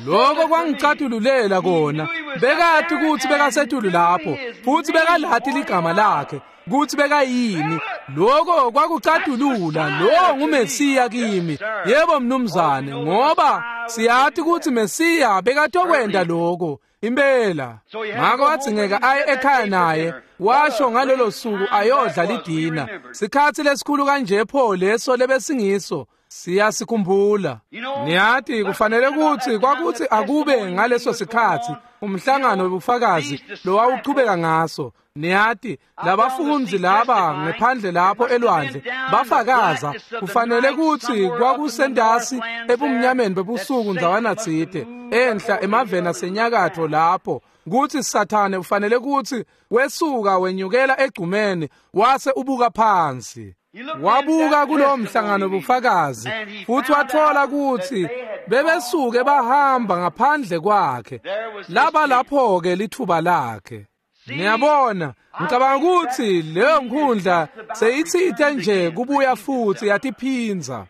Lokho kwangicatululela kona. Bekati ukuthi bekasetulu lapho futhi bekalati ligama lakhe kuthi bekayini. Lokho kwakucatulula, lo nguMesiya kimi. Yebo mnumzane, ngoba siyathi ukuthi Mesiya bekatokwenda lokho impela. Ngako wadzingeka aye ekhaya naye, washo ngalolo suku ayodla lidina. Sikhathi lesikhulu kanje pho leso lebesingiso, siyasikhumbula. Niyati kufanele ukuthi kwakuthi akube ngaleso sikhathi umhlangano wobufakazi lowawuqhubeka ngaso. Niyati labafundi laba ngephandle lapho elwandle bafakaza, kufanele ukuthi kwakusendasi ebumnyameni bebusuku ndzawana tsite enhla emaveni asenyakatho lapho, kuthi Sathane ufanele ukuthi wesuka wenyukela egcumeni wase ubuka phansi. Wabuka kulowo mhlangano bufakazi futhi wathola ukuthi bebesuke bahamba ngaphandle kwakhe. Laba lapho-ke lithuba lakhe. Niyabona, ngicabanga ukuthi leyo nkundla seyitsite nje kubuya futhi yatiphinza.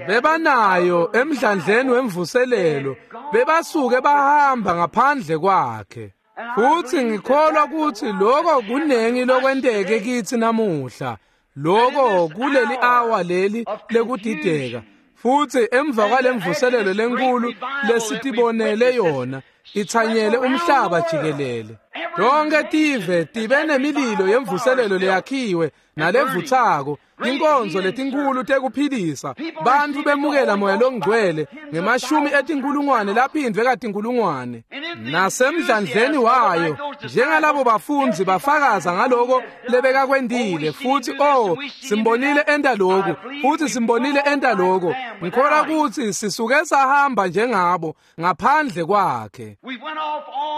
Bebanayo emdlandleni wemvuselelo, bebasuke bahamba ngaphandle kwakhe. Futhi ngikholwa ukuthi lokho kunengi lokwenteke kithi namuhla. Lokho kuleli hour leli lekudideka. Futhi emva kwalemvuselelo lenkulu lesitibonele yona, itsanyele umhlaba jikelele. Tonke tive tibe nemililo yemvuselelo leyakhiwe nalevutsako, tinkonzo letinkhulu tekuphilisa, bantfu bemukela moya longcwele ngemashumi etinkhulungwane laphindvwe katinkhulungwane. Nasemdlandleni wayo, njengalabo bafundzi bafakaza ngaloko lebekakwentile, futhi oh, simbonile enta lokhu, futhi simbonile enta lokho. Ngikholwa kutsi sisuke sahamba njengabo ngaphandle kwakhe.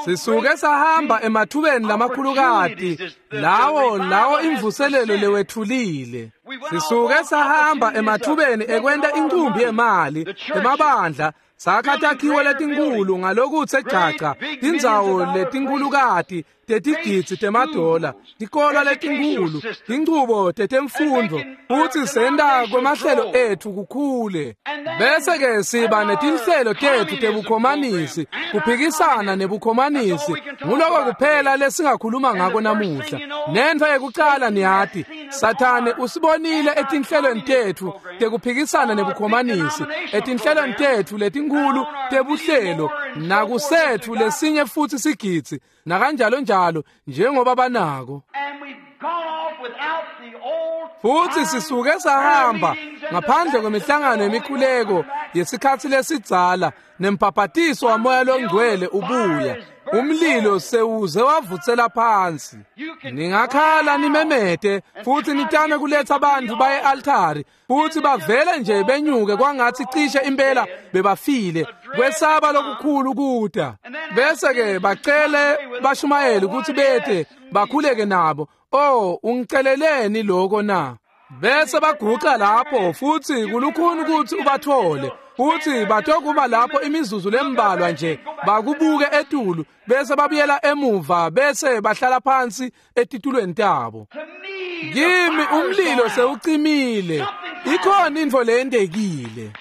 Sisuke sahamba emathubeni lamakhulukati lawo imvuselelo lewethulile. Sisuke sahamba emathubeni ekwenta incumbi yemali emabandla, sakha takhiwo letinkhulu ngalokutse jaca, tindzawo letinkhulukati tetigidzi temadola, tikolwa letinkhulu, tinchubo tetemfundvo, futsi senta kwemahlelo etfu kukhule. Bese-ke siba netinhlelo tetfu tebukhomanisi, kuphikisana nebukhomanisi. Nguloko kuphela lesingakhuluma ngako namuhla. Nentfo yekucala niyati, Sathane usibonile etinhlelweni tetfu tekuphikisana nebukhomanisi, etinhlelweni tetfu letinkhulu tebuhlelo, nakusetfu lesinye futsi sigidzi, nakanjalo njalo njengoba banako. Futhi sisuke sahamba ngaphandle kwemihlangano yemikhuleko yesikhatsi lesidzala nembhabhatiso wamoya longcwele ubuya. Umlilo sewuze wavutsela phansi. Ningakhala nimemete futhi nitame kuletha abantu baye altari, futhi bavele nje benyuke kwangathi cishe impela bebafile. Kwesaba lokukhulu kuta. Bese-ke bacele bashumayeli ukuthi bete bakhuleke nabo. Oh, ungiceleleni lokho na? Bese baguca lapho futhi kulukhuni ukuthi ubathole. Futhi batokuma lapho imizuzu lembalwa nje bakubuke etulu, bese babuyela emuva, bese bahlala phansi etitulweni tabo. Kimi umlilo sewucimile. Ikhona intfo leyentekile.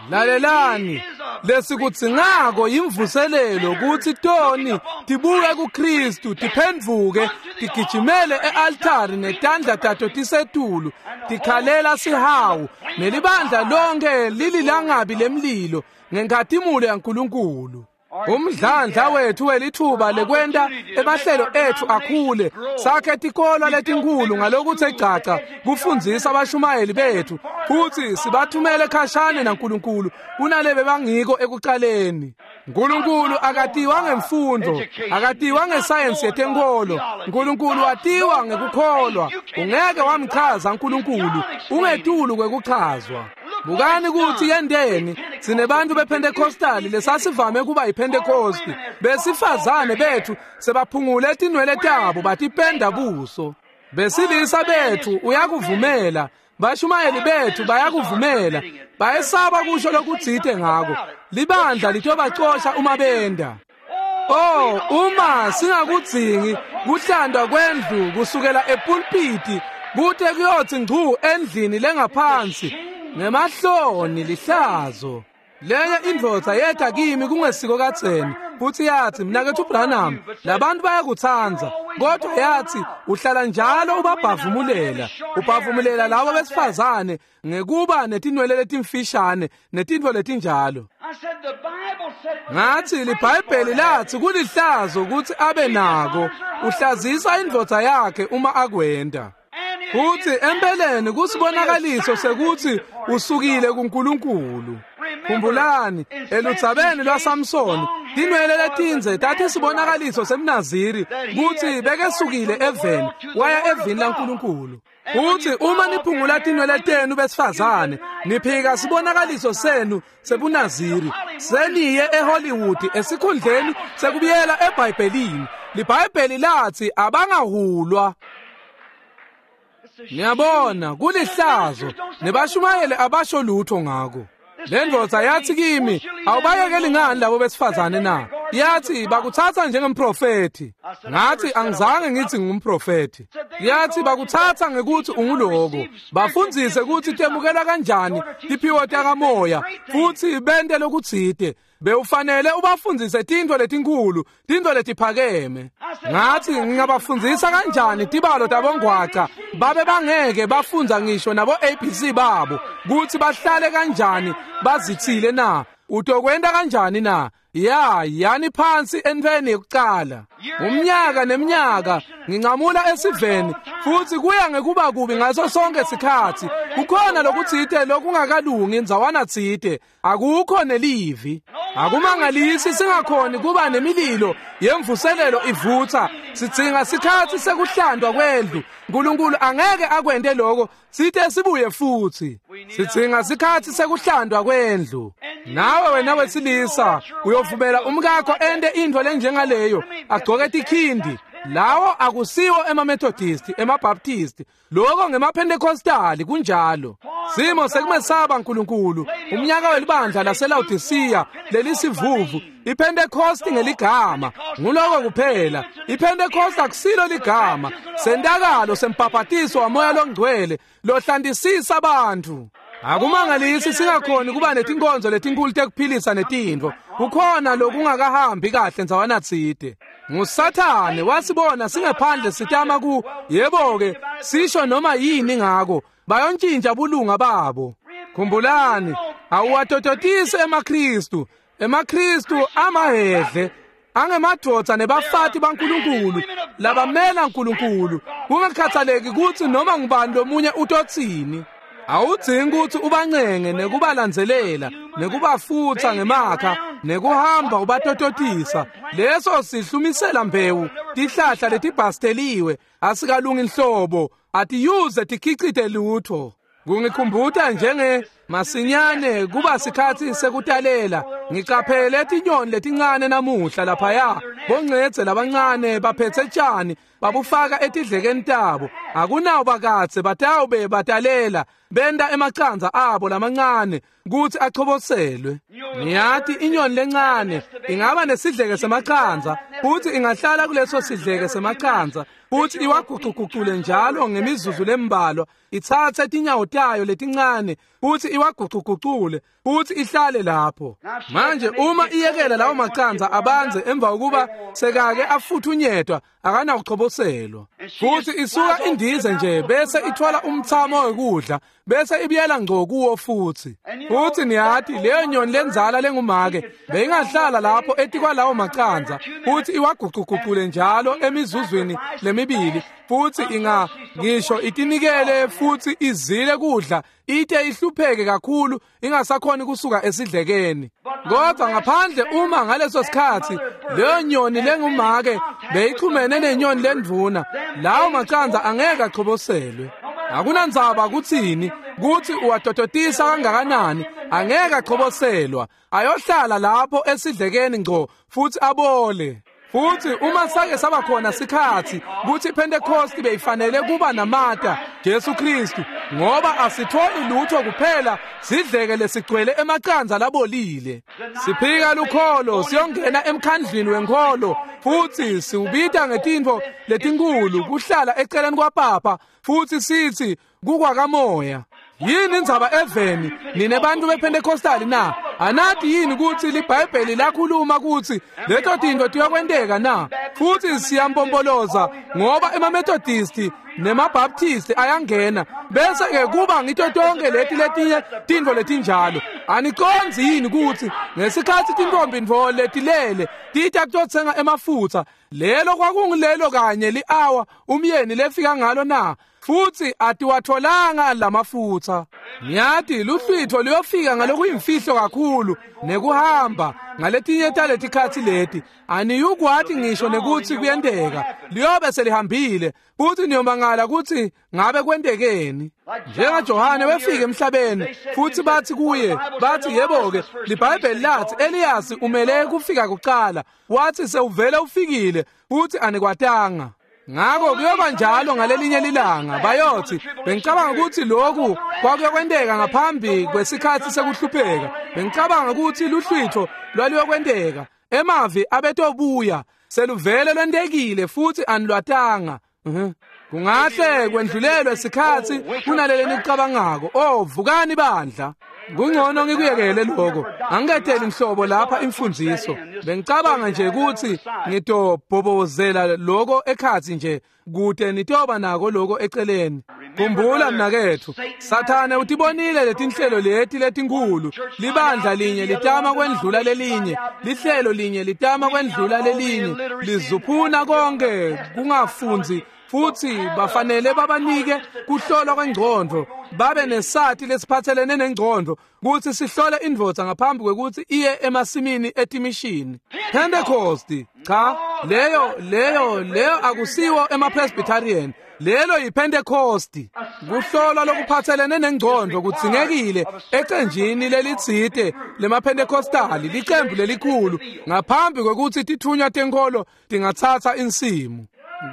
Lalelani, lesikudzingako yimvuselelo kutsi toni tibuke kuKristu, tiphendvuke, tigijimele e-altari netandla tato tisetulu, tikhalela sihawu, nelibandla lonke lililangabi lemlilo ngenkhatimulo yaNkulunkulu. Umdlandla wethu welithuba lekwenta emahlelo etfu akhule, sakhe tikolwa letinkhulu ngalokuthe gcaca kufundzisa abashumayeli bethu, futhi sibathumele khashane naNkulunkulu kunalebe bangiko ekucaleni. Nkulunkulu akatiwa ngemfundo, akatiwa ngesayensi yetenkholo. Nkulunkulu watiwa ngekukholwa. Ungeke wamchaza Nkulunkulu, ungetulu kwekuchazwa. Bukani kutsi yenteni, sinebantu bePentecostali lesasivame kuba yiPentecosti. Besifazane bethu sebaphungule tinwele tabo batipenda buso. Besilisa bethu uyakuvumela, bashumayeli bethu bayakuvumela, bayesaba kusho lokutsite ngako. Libandla litobacosha uma benda. Oh, uma singakudzingi kuhlandwa kwendlu kusukela epulpiti kute kuyotsi ngcu endlini lengaphansi, ngemahloni lihlazo. Lenye indvodza yeta kimi kungesiko kadzeni, futhi yathi, "Mnaketfu Branham, labantu bayakutsandza, kodwa yathi uhlala njalo ubabhavumulela, ubhavumulela labo besifazane ngekuba netinwele letimfishane netintfo letinjalo." Ngathi liBhayibheli lathi kulihlazo ukuthi abe nako, uhlazisa indvodza yakhe uma akwenta. Futhi empeleni kusibonakaliso sekuthi usukile kuNkulunkulu. Khumbulani eludzabeni lwaSamsoni, tinwele letindze tatisibonakaliso semNaziri kutsi bekesukile eveni waya evini laNkulunkulu. Futhi uma niphungula tinwele tenu besifazane, niphika sibonakaliso senu sebunaziri, seniye eHollywood esikhundleni sekubuyela eBhayibhelini. LiBhayibheli lathi abangahulwa. Niyabona, kulihlazo, nebashumayeli abasho lutho ngako. Le ndvodza yathi kimi, "Awubayekeli ngani labo besifazane na?" Yathi bakuthatha njengemprofethi. Ngathi angizange ngithi ngumprofethi. Yathi bakuthatha ngekuthi unguloko. Bafundzise ukuthi temukela kanjani tiphiwo takamoya futhi bente lokutsite. Bewufanele ubafundzise tintfo letinkhulu, tintfo letiphakeme. Ngathi ngingabafundzisa kanjani tibalo tabongwaca babe bangeke bafundza ngisho nabo ABC babo kutsi bahlale kanjani bazitsile na? Utokwenta kanjani na? Ya, yani phansi entfweni yekucala. Umnyaka neminyaka ngincamula esiveni futhi kuya ngekuba kubi ngaso sonke sikhatsi. Kukhona lokutsite lokungakalungi ndzawana tsite, akukho nelivi. Akumangalisi singakhoni kuba nemililo yemvuselelo ivutsa. Sidzinga sikhatsi sekuhlandwa kwendlu. Nkulunkulu angeke akwente lokho sithe sibuye futhi. Sidzinga sikhatsi sekuhlandwa kwendlu. Nawe wena wesilisa uyovumela umkakho ente intfo lenjengaleyo, agcoke tikhindi. Lawo akusiwo emaMethodisti, emaBaptisti, lokho ngemaPentecostali kunjalo. Simo sekumesaba Nkulunkulu, umnyaka welibandla laseLaodicea lelisivuvu, iPentecost ngeligama, nguloko kuphela. iPentecost akusilo ligama, sentakalo sembhabhatiso waMoya loNgcwele lohlantisisa abantu. Akumangalisi singakhoni kuba netinkonzo letinkulu tekuphilisa netintfo. Kukhona lokungakahambi kahle ndzawana tsite. NguSathane wasibona singephandle sitama ku yebo-ke sisho noma yini ngako bayontjintja bulunga babo. Khumbulani, awuwatototisi emaKhristu. EmaKhristu amahhedle angemadvodza nebafati baNkulunkulu labamela Nkulunkulu, kungakhathaleki kutsi noma ngubani lomunye utotsini. Awudzingi kutsi ubancenge nekubalandzelela nekubafutsa ngemakha nekuhamba ubatototisa. Leso sihlumisela mbewu, tihlahla letibhasteliwe, asikalungi nhlobo, atiyuze tikhicite lutho. Kungikhumbuta njenge masinyane kuba sikhatsi sekutalela. Ngicaphele tinyoni letincane namuhla laphaya, boncedze labancane baphetse tjani babufaka etidlekeni tabo. Akunawo bakadze batawube batalela, benta emacandza abo lamancane kutsi achoboselwe. Niyati inyoni lencane ingaba nesidleke semacandza, futhi ingahlala kuleso sidleke semacandza, futhi iwagucugucule njalo ngemizuzu lembalwa, itsatse tinyawo tayo letincane futhi iwagucugucule futhi ihlale lapho. Manje uma iyekela lawo macandza abanze emva kokuba sekake afuthunyetwa, akanawuchoboselwa. Futhi isuka indize nje bese ithola umthamo wekudla bese ibuyela ngco kuwo futhi. Futhi niyati leyo nyoni lenzala lengumake beyingahlala lapho etikwalawo macandza futhi iwagucugucule njalo emizuzwini lemibili, futhi inga ngisho itinikele futhi izile kudla ite ihlupheke kakhulu ingasakhoni kusuka esidlekeni. Kodwa ngaphandle uma ngaleso sikhatsi leyo nyoni lengumake beyixhumene nenyoni lendvuna, lawo macandza angeke achoboselwe. Akunandzaba kutsini kutsi uwatototisa kangakanani, angeke achoboselwa, ayohlala lapho esidlekeni ngco futhi abole. Futhi uma sake saba khona sikhatsi kutsi iPentecost beyifanele kuba namata Jesu Kristu, ngoba asitholi lutho kuphela sidleke lesigcwele emacandza labolile. Siphika lukholo siyongena emkhandlwini wenkholo futhi siwubita ngetintfo letinkulu kuhlala eceleni kwapapa futhi sithi kukwakamoya. Yini indzaba eveni nine bantu bePentecostali na? Anati yini kutsi liBhayibheli lakhuluma kutsi leto tintfo tiyokwenteka na? Futhi siyampompoloza ngoba emaMethodisti nemaBaptisti ayangena bese ke kuba ngito tonke leti letinye tintfo letinjalo. Anicondzi yini kutsi ngesikhatsi tintombi ntfo letilele tita kutotsenga emafutsa, lelo kwakungilelo kanye li-awa umyeni lefika ngalo na? Futhi atiwatholanga lamafutsa. Niyati luhlwitho luyofika ngalokuyimfihlo kakhulu nekuhamba ngaletinye taletikhatsi leti aniyukwati ngisho nekutsi kuyenteka, liyobe selihambile futhi niyomangala kutsi ngabe kwentekeni. NjengaJohane wefika emhlabeni futhi bathi kuye, bathi yebo-ke liBhayibheli lathi Eliyasi umele kufika kucala, wathi sewuvele ufikile futhi anikwatanga. Ngako kuyoba njalo ngalelinye lilanga bayothi bengicabanga ukuthi lokhu kwakuyokwenteka ngaphambi kwesikhatsi sekuhlupheka, bengicabanga ukuthi luhlwitho lwaluyokwenteka, emavi abetobuya, seluvele lwentekile futhi anilwatanga. Kungahle kwendlulelwe sikhatsi kunalele nikucabangako. Oh, vukani bandla. Kungcono ngikuyekele lokho. Angiketeli nhlobo lapha imfundiso. Bengicabanga nje ukuthi ngitobhobozela lokho ekhatsi nje kude nitoba nako lokho eceleni. Khumbula mnaketfu, Sathane utibonile letinhlelo leti letinkulu. Libandla linye litama kwendlula lelinye, lihlelo linye litama kwendlula lelinye, lizuphuna konke kungafundzi, futsi bafanele babanike kuhlolwa kwengcondvo, babe nesati lesiphatselene nengcondvo kutsi sihlole indvodza ngaphambi kwekutsi iye emasimini etimishini. Pentecost, cha, leyo akusiwo emaPresbyterian. Lelo yiPentecost. Kuhlolwa lokuphatselene nengcondvo kudzingekile ecenjini lelitsite lemaPentecostali, licembu lelikhulu, ngaphambi kwekutsi tithunywa tenkolo tingatsatsa insimu.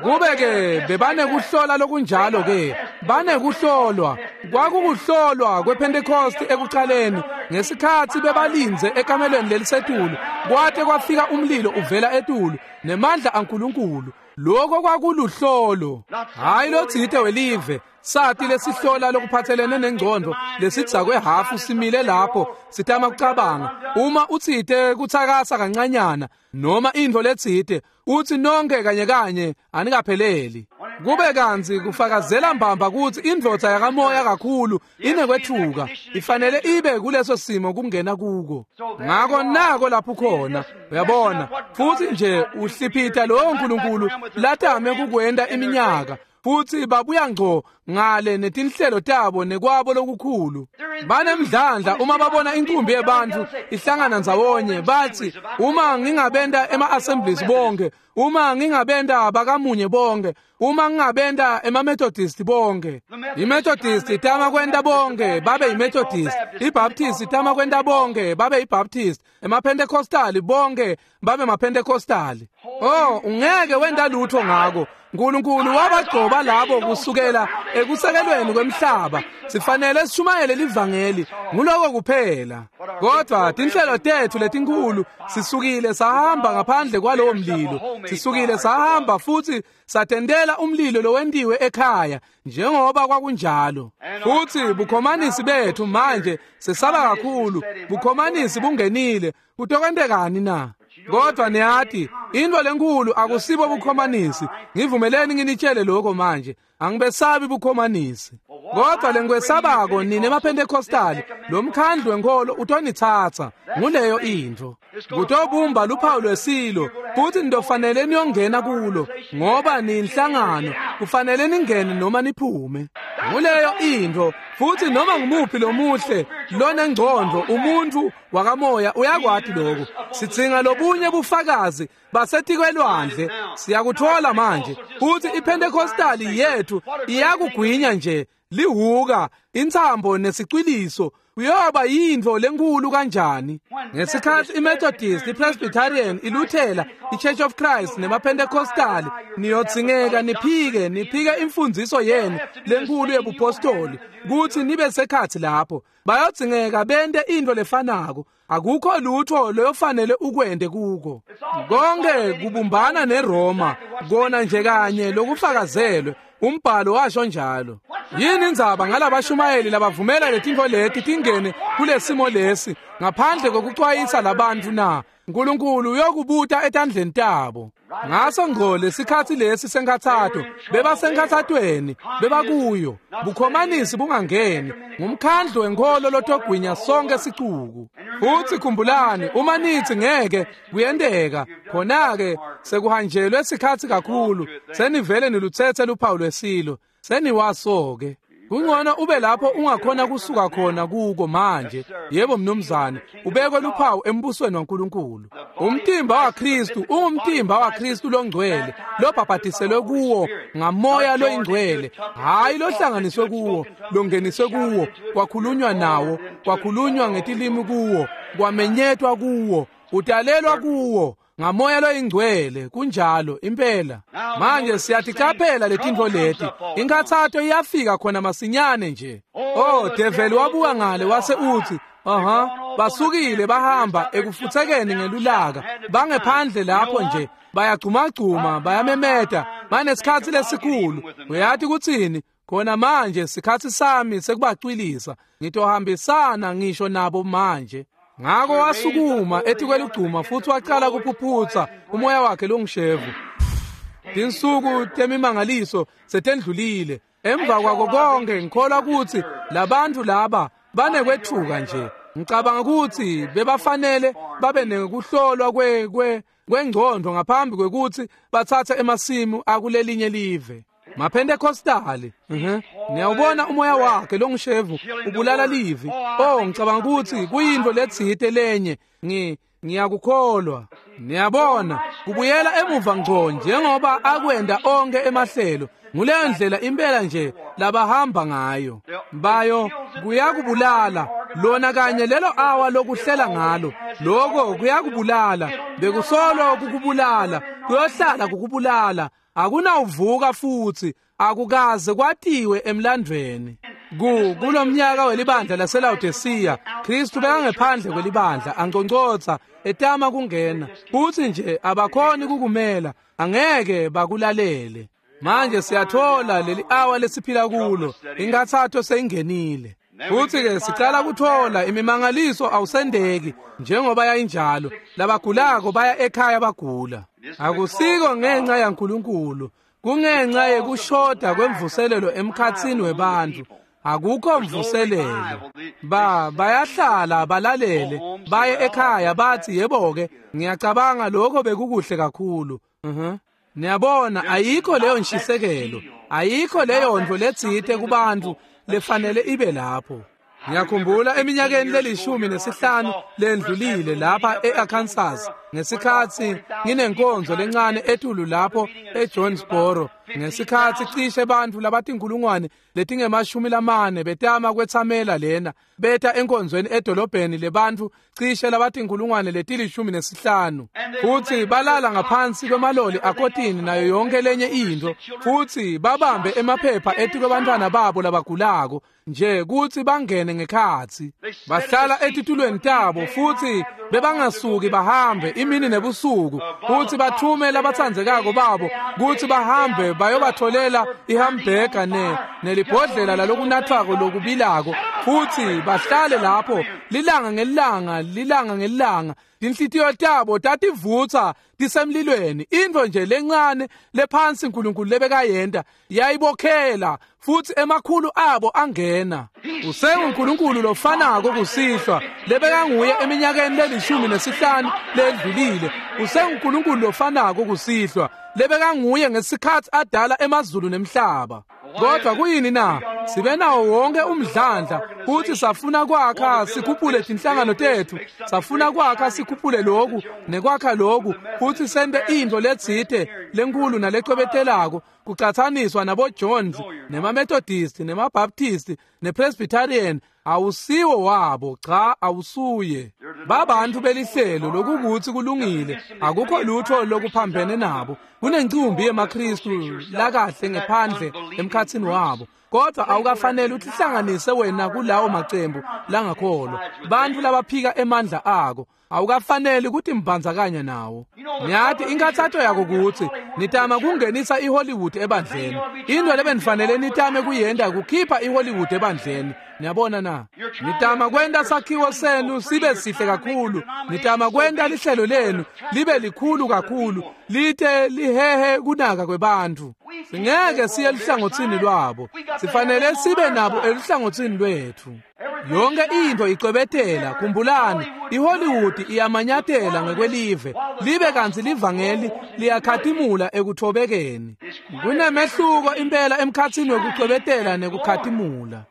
Kube-ke bebanekuhlola lokunjalo-ke, banekuhlolwa. Kwakukuhlolwa kwePentecost ekucaleni, ngesikhatsi bebalindze ekamelweni lelisetulu, kwate kwafika umlilo uvela etulu nemandla aNkulunkulu. Lokho kwakuluhlolo, hhayi lotsite welive, sati lesihlola lokuphatselene nengcondvo lesidzakwe hafu simile lapho sitama kucabanga. Uma utsite kutsakasa kancanyana noma intfo letsite, utsi nonke kanye kanye anikapheleli. Kube kantsi kufakazela mbamba kutsi indvodza yakamoya kakhulu inekwetfuka, ifanele ibe kuleso simo kungena kuko. Ngako nako lapho khona, uyabona, futsi nje uhliphita lowo Nkulunkulu latame kukwenta iminyaka, futsi babuya ngco ngale netinhlelo tabo nekwabo lokukhulu. Banemdlandla uma babona inkumbi yebantfu ihlangana ndzawonye, batsi uma ngingabenta ema-assemblies bonke, uma ngingabenta bakamunye bonke, uma ngingabenta ema-Methodist bonke. I-Methodist itama kwenta bonke babe yi-Methodist, i-Baptist itama kwenta bonke babe yi-Baptist, emaPentecostali bonke babe maPentecostali. Oh, ungeke wenta lutho ngako. Nkulunkulu wabagcoba labo kusukela ekusekelweni kwemhlaba. Sifanele sishumayele livangeli, nguloko kuphela. Kodwa tinhlelo tetfu letinkulu sisukile sahamba ngaphandle kwalowo mlilo. Sisukile sahamba futsi satendela umlilo lowentiwe ekhaya njengoba kwakunjalo. Futsi bukhomanisi bethu manje sesaba kakhulu. Bukhomanisi bungenile. Kutokwentekani na? Kodwa niyati, intfo lenkulu akusibo bukhomanisi. Ngivumeleni nginitshele lokho manje. Angibesabi bukhomanisi. Kodwa lengikwesabako nine emaPentecostali, lo mkhandlu wenkolo utonitsatsa. Nguleyo intfo. Kutobumba luphawu lwesilo, futsi nitofanele niyongena kulo, ngoba niyinhlangano, kufanele ningene noma niphume. Nguleyo intfo, futsi noma ngumuphi lomuhle lonengcondvo umuntfu wakamoya uyakwati lokho. Sidzinga lobunye bufakazi basetikwelwandle. Siyakuthola manje futsi iPentecostali yethu iyakugwinya nje lihuka, intsambo nesicwiliso. Kuyoba yintfo lenkulu kanjani ngesikhatsi iMethodist, iPresbyterian, iLuthela, iChurch of Christ nemaPentecostali niyodzingeka niphike imfundziso yenu lenkulu yebupostoli kutsi nibe sekhatsi lapho. Bayodzingeka bente intfo lefanako. Akukho lutho loyofanele ukwente kuko. Konke kubumbana neRoma, kona nje kanye lokufakazelwe. Umbhalo washo njalo. Yini indzaba ngalabashumayeli labavumela letintfo leti tingene kulesimo lesi ngaphandle kokucwayisa labantfu na? Nkulunkulu uyokubuta etandleni tabo. Ngaso ngco lesikhatsi lesi senkhatsato, bebasenkhatsatweni, bebakuyo. Bukhomanisi bungangeni, ngumkhandlu wenkholo lotogwinya sonke sicuku. Futsi khumbulani, uma nitsi ngeke kuyenteka, khona-ke sekuhanjelwe sikhatsi kakhulu, senivele nilutsetse luphawu lwesilo, seniwaso-ke. Kungcono ube lapho ungakhona kusuka khona kuko manje. Yebo mnumzane, ubekwe luphawu embusweni waNkulunkulu. Umtimba waKristu ungumtimba waKristu longcwele, lobhabhatiselwe kuwo ngamoya loyingcwele, hhayi lohlanganiswe kuwo, longeniswe kuwo, kwakhulunywa nawo, kwakhulunywa ngetilimi kuwo, kwamenyetwa kuwo, utalelwa kuwo ngamoya loyingcwele. Kunjalo impela. Manje siyaticaphela letintfo leti. Inkhatsato iyafika khona masinyane nje. Oh, develi wabuka ngale wase utsi, aha, basukile bahamba ekufutsekeni ngelulaka, bangephandle lapho nje, bayagcumagcuma, bayamemeta, banesikhatsi lesikhulu. Uyati kutsini? Khona manje sikhatsi sami sekubacwilisa, ngitohambisana ngisho nabo manje. Ngako wasukuma etikwelugcuma futsi wacala kuphuphutsa umoya wakhe longishevu. Tinsuku temimangaliso setendlulile. Emva kwako konke ngikholwa kutsi labantu laba banekwethuka nje. Ngicabanga kutsi bebafanele babe nekuhlolwa kwengcondvo ngaphambi kwekutsi batsatse emasimu akulelinye live. MaPentecostali, niyawubona umoya wakhe longushevu ubulala livi. Oh, ngicabanga kutsi kuyintfo letsite lenye. Ngiyakukholwa. Niyabona, kubuyela emuva ngco njengoba akwenda onke emahlelo. Nguleyo ndlela impela nje labahamba ngayo. Bayo kuyakubulala lona kanye lelo awa lokuhlela ngalo. Lokho kuyakubulala, bekusolo kukubulala, kuyohlala kukubulala. Akunawuvuka futhi, akukaze kwatiwe emlandvweni. Kulomnyaka welibandla laseLaodicea, Kristu bekangephandle kwelibandla anconcotsa etama kungena, futsi nje abakhoni kukumela, angeke bakulalele. Manje siyathola leli awa lesiphila kulo, inkathatho seyingenile. Futhi-ke sicala kuthola imimangaliso awusendeki njengoba yayinjalo. Labagulako baya ekhaya bagula. Akusiko ngenxa yaNkulunkulu, kungenxa yekushoda kwemvuselelo emkhatsini webantfu. Akukho mvuselelo. Bayahlala balalele, baye ekhaya bathi yebo-ke, ngiyacabanga lokho bekukuhle kakhulu. Niyabona, ayikho leyo nshisekelo, ayikho leyo ntfo letsite kubantfu lefanele ibe lapho. Ngiyakhumbula eminyakeni le-15 lendlulile lapha e-Arkansas, ngesikhatsi nginenkonzo lencane etulu lapho eJonesboro, ngesikhatsi cishe bantfu labatinkulungwane letinge-40 betama kwetsamela lena, beta enkonzweni edolobheni lebantfu cishe labatinkulungwane leti-15, futsi balala ngaphansi kwemaloli akotini nayo yonke lenye intfo, futsi babambe emaphepha etikwebantfwana babo labagulako nje kutsi bangene ngekhatsi. Bahlala etitulweni tabo futsi bebangasuki bahambe imini nebusuku, futsi bathume labatsandzekako babo kutsi bahambe bayobatholela ihambhega nelibhodlela lalokunathwako lokubilako, futsi bahlale lapho lilanga ngelilanga, lilanga ngelilanga. Tinhlitiyo tabo tativutsa tisemlilweni. Intfo nje lencane lephansi uNkulunkulu lebekayenta yayibokhela, futsi emakhulu abo angena. UsenguNkulunkulu lofanako kusihlwa lebekanguye eminyakeni le-15 lendlulile. UsenguNkulunkulu lofanako kusihlwa lebekanguye ngesikhatsi adala emazulu nemhlaba. Kodwa kuyini na? Sibe nawo wonke umdlandla, futhi safuna kwakha sikhuphule tinhlangano tethu, safuna kwakha sikhuphule lokhu nekwakha lokhu, futhi sente intfo letsite lenkulu nalecwebetelako kucatsaniswa nabo Jones nemaMethodist nemaBaptist nePresbyterian. Awusiwo wabo, cha, awusuye. Babantu belihlelo lokukutsi kulungile, akukho lutho lokuphambene nabo. Kunencumbi yemaKristu lakahle ngephandle emkhatsini wabo, kodwa awukafanele utihlanganise wena kulawo macembu langakholwa, bantfu labaphika emandla ako. Awukafanele kuti mbandzakanya nawo. Niyati inkathatho yako kutsi nitama kungenisa iHollywood ebandleni. Into lebenifanele nitame kuyenta kukhipha iHollywood ebandleni. Niyabona na? Nitama kwenta sakhiwo senu sibe sihle kakhulu. Nitama kwenta lihlelo lenu libe likhulu kakhulu, lite lihehe kunaka kwebantfu. Singeke siye eluhlangotsini lwabo. Sifanele sibe nabo eluhlangotsini lwetfu. Yonke intfo icwebetela. Khumbulani, iHollywood iyamanyatela ngekwelive, libe kantsi livangeli liyakhatimula ekuthobekeni. Kunemehluko impela emkhatsini wekucwebetela nekukhatimula.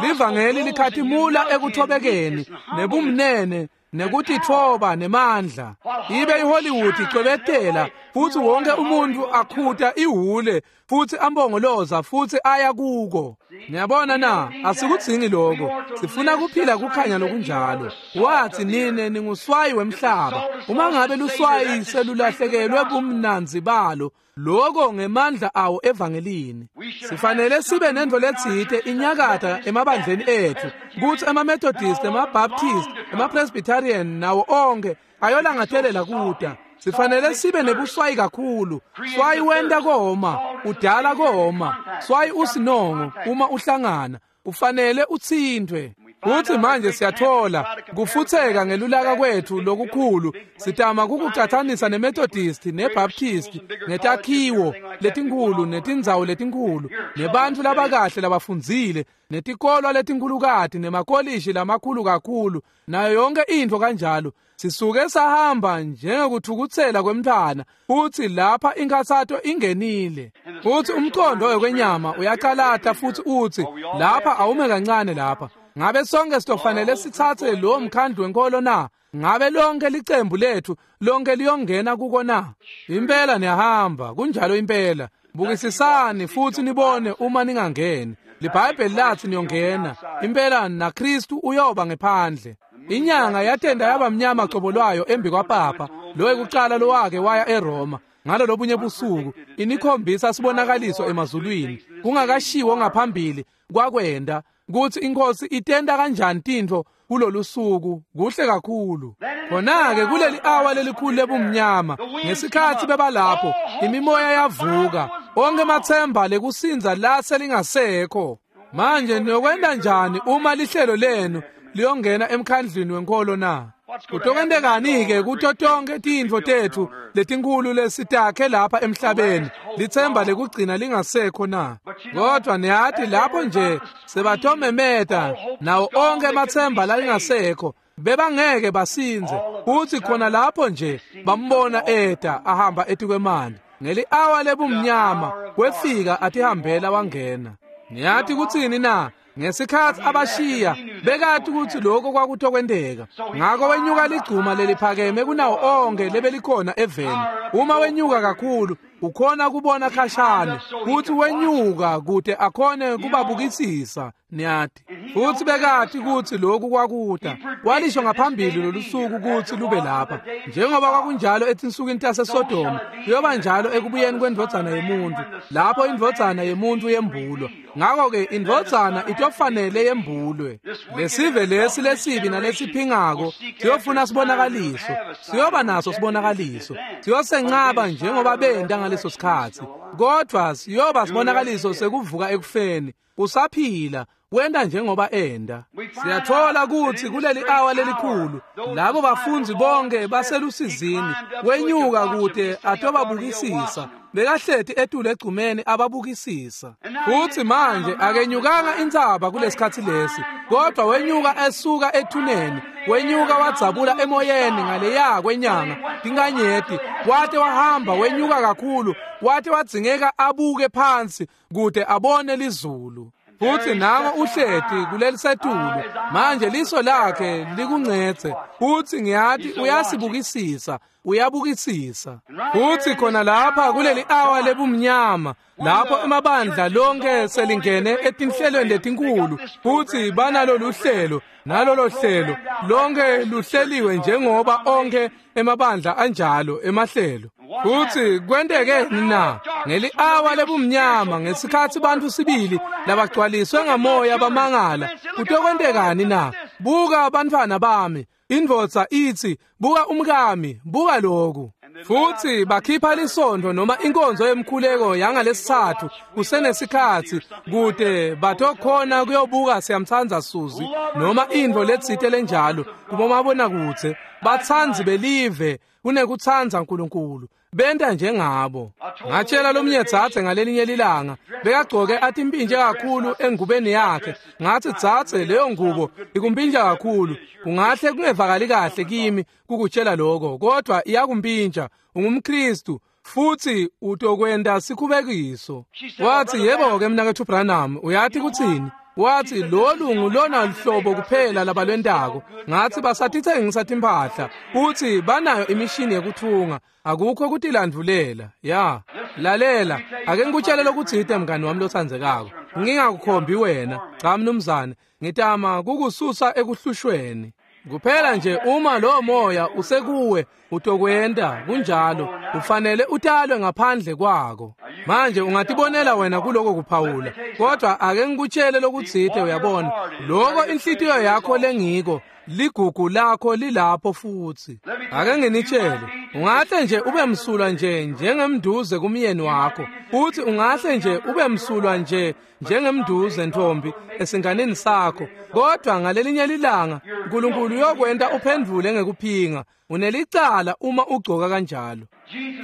Livangeli likhatimula ekuthobekeni nebumnene nekutitfoba nemandla. Ibe iHollywood icwebetela, futsi wonke umuntfu akhuta ihule futsi ambongoloza futsi aya kuko. Niyabona na? Asikudzingi lokho. Sifuna kuphila kukhanya lokunjalo. Wathi nine ninguswayi wemhlaba. Uma ngabe luswayi selulahlekelwe bumnandzi balo, lokho ngemandla awo evangelini. Sifanele sibe nentfo letsite inyakata emabandleni etfu, kutsi emaMethodist, emaBaptist, emaPresbyterian nawo onke ayolangatelela kuta. Sifanele sibe nebuswayi kakhulu. Swayi wenta koma, udala koma. Swayi usinongo uma uhlangana, ufanele utsintfwe. Futsi manje siyathola kufutseka ngelulaka kwethu lokukhulu, sitama kukucatsanisa neMethodist neBaptist netakhiwo letinkhulu netindzawo letinkhulu nebantfu labakahle labafundzile netikolwa letinkhulukati nemakolishi lamakhulu kakhulu nayo yonke intfo kanjalo. Sisuke sahamba njengekuthukutsela kwemntfwana, futsi lapha inkhatsato ingenile. Futsi umcondo wekwenyama uyacalata futsi utsi, lapha awume kancane lapha. Ngabe sonke sitofanele sitsatse lowo mkhandlu wenkolo na? Ngabe lonke licembu lethu lonke liyongena kuko na? Impela niyahamba, kunjalo impela. Bukisisani futsi nibone uma ningangeni. LiBhayibheli lathi niyongena. Impela naKristu uyoba ngephandle. Inyanga yatenda yaba mnyama cobo lwayo embi kwapapa, lo wekucala lowake waya eRoma. Ngalo lobunye busuku inikhombisa sibonakaliso emazulwini, kungakashiwo ngaphambili kwakwenda kutsi inkosi itenda kanjani tintfo kulolu suku. Kuhle kakhulu. Khona-ke kuleli awa lelikhulu lebumnyama, ngesikhatsi bebalapho, imimoya yavuka, onke matsemba lekusindza lase lingasekho. Manje niyokwenta njani uma lihlelo lenu liyongena emkhandlwini wenkolo na? Kutokwentekani-ke kuto tonke tintfo tetfu letinkhulu lesitakhe lapha emhlabeni, litsemba lekugcina lingasekho na? Kodwa niyati lapho nje sebatomemeta nawo onke amatsemba lalingasekho, bebangeke basindze. Futsi khona lapho nje bambona eta ahamba etikwemandi ngeli-awa lebumnyama, wefika atihambela wangena. Niyati kutsini na? Ngesikhatsi abashiya, bekati kutsi lokho kwakutokwenteka. Ngako wenyuka ligcuma leliphakeme kunawo onke lebelikhona eveni. Uma wenyuka kakhulu, ukhona kubona khashane, futsi wenyuka kute akhone kubabukisisa, niyati. Futsi bekati kutsi lokhu kwakuta. Walisho ngaphambili lolusuku kutsi lube lapha. Njengoba kwakunjalo etinsukwini taseSodoma, kuyoba njalo ekubuyeni kwendvodzana yemuntfu, lapho indvodzana yemuntfu yembulwa. Ngako-ke indvodzana itofanele yembulwe. Lesive lesi lesibi nalesiphingako siyofuna sibonakaliso, siyoba naso sibonakaliso, siyosencaba njengoba benta ngaleso sikhatsi, kodvwa siyoba sibonakaliso sekuvuka ekufeni. Usaphila, wenta njengoba enda. Siyathola kutsi kuleli awa lelikhulu, labo bafundzi bonke baselusizini, wenyuka kute atobabukisisa. Bekahleti etulu egcumeni ababukisisa. Futsi manje akenyukanga intsaba kulesikhatsi lesi, kodwa wenyuka esuka ethuneni, wenyuka wadzabula emoyeni ngaleya kwenyanga tinkanyeti, wate wahamba wenyuka kakhulu, wate wadzingeka abuke phansi kute abone lizulu. Futsi nango uhleti kulelisetulu, manje liso lakhe likuncetse, futsi ngiyati uyasibukisisa, uyabukisisa. Futsi khona lapha kuleli awa lebumnyama, lapho emabandla lonke selingene etinhlelweni letinkhulu, futsi banalolu hlelo nalolo hlelo, lonke luhleliwe njengoba onke emabandla anjalo emahlelo. Futsi kwentekeni na? Ngeli-awa lebumnyama, ngesikhatsi bantfu sibili labagcwaliswe ngamoya bamangala, kutokwentekani na? Buka bantfwana bami, indvodza itsi, buka umkami, buka loku. Futsi bakhipha lisontfo noma inkonzo yemkhuleko yangalesitsatfu kusenesikhatsi kute batokhona kuyobuka Siyamtsandza Suzi noma intfo letsite lenjalo kubomabonakudze. Batsandzi belive kunekutsandza Nkulunkulu, benta njengabo. Ngatshela lomnye dzadze ngalelinye lilanga, bekagcoke atimpintje kakhulu engubeni yakhe. Ngatsi, dzadze, leyo ngubo ikumpintja kakhulu, kungahle kungevakali kahle kimi kukutshela lokho, kodwa iyakumpintja. UngumKristu futsi utokwenta sikhubekiso. Watsi, yebo-ke mnaketfu Branham, uyati kutsini? Watsi, lolu ngulona luhlobo kuphela labalwentako. Ngatsi, basatitsengisa timphahla futsi banayo imishini yekutfunga, akukho kutilandvulela. Ya, lalela, ake ngikutshele lokutsite mngani wami lotsandzekako. Ngingakukhombi wena, cha mnumzane, ngitama kukususa ekuhlushweni. Kuphela nje uma lowo moya usekuwe utokwenta kunjalo, ufanele utalwe ngaphandle kwako. Manje ungatibonela wena kuloko kuphawula, kodwa ake ngikutshele lokutsite, uyabona, loko inhlitiyo yakho lengiko, ligugu lakho lilapho futsi. Ake nginitshele, ungahle nje ube msulwa nje njengemnduze kumyeni wakho, futhi ungahle nje ube msulwa nje njengemnduze ntombi esinganeni sakho, kodwa ngalelinye lilanga uNkulunkulu uyokwenta uphendvule ngekuphinga. Unelicala uma ugcoka kanjalo.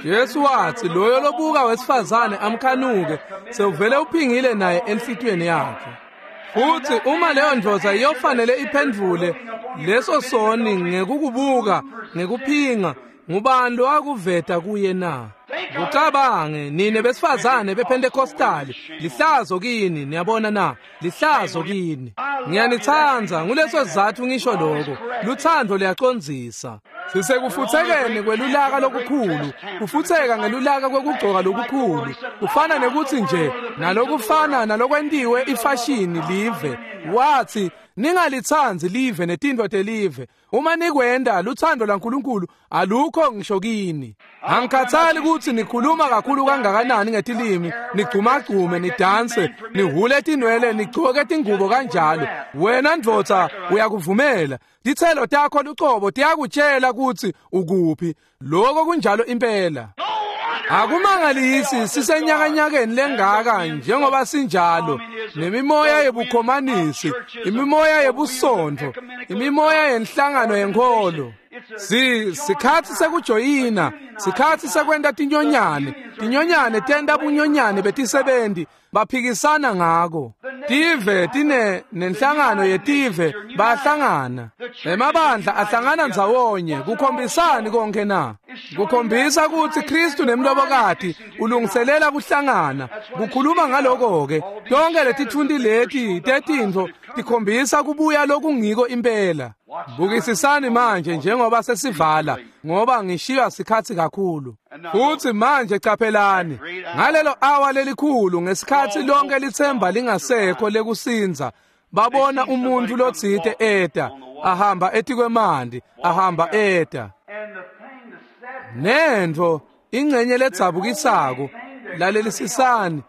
Jesu wathi loyo lobuka wesifazane amkhanuke sewuvele uphingile naye enhlitiyweni yakhe. Futhi uma leyo ndvodza iyofanele iphendvule leso soni ngekukubuka ngekuphinga, ngubani lowakuveta kuye na? Kucabange nine besifazane bePentecostali, lihlazo kini, niyabona na? Lihlazo kini. Ngiyanithanda, nguleso sizathu ngisho lokho. Luthando liyacondzisa. Sisekufutsekeni kwelulaka lokukhulu, kufutseka ngelulaka kwekugcoka lokukhulu. Kufana nekuthi nje nalokufana nalokwentiwe ifashini live. Wathi ningalithandi live netintfo telive. Uma nikwenda luthando lwaNkulunkulu alukho ngisho kini. Angikhathali ukuthi nikhuluma kakhulu kangakanani ngetilimi, nigcumagcume, nidanse, nihule tinwele, nigcoke tingubo kanjalo. Wena ndvodza uyakuvumela. Titselo takho lucobo tiyakutshela ukuthi ukuphi. Lokho kunjalo impela. Akumangalisi sisenyakanyakeni lengaka njengoba sinjalo, nemimoya yebukhomanisi, imimoya yebusontfo, imimoya yenhlangano yenkholo. Sikhathi sekujoyina, sikhathi sekwenta tinyonyane. Tinyonyane tenta bunyonyane betisebenti, baphikisana ngako. Tive tine nenhlangano yetive bahlangana. Emabandla ahlangana ndzawonye. Kukhombisani konke na? Kukhombisa ukuthi Kristu nemlobokati ulungiselela kuhlangana. Kukhuluma ngaloko ke, tonke letithunti leti tetintfo tikhombisa kubuya lokungiko impela. Bukisisani manje njengoba sesivala, ngoba ngishiywa sikhathi kakhulu. Futhi manje caphelani, ngalelo awa lelikhulu ngesikhathi lonke lithemba lingasekho lekusinza, babona umuntu lotsite eta, ahamba etikwemanti, ahamba eta. Nentfo ingcenye ledzabukisako, lalelisisani,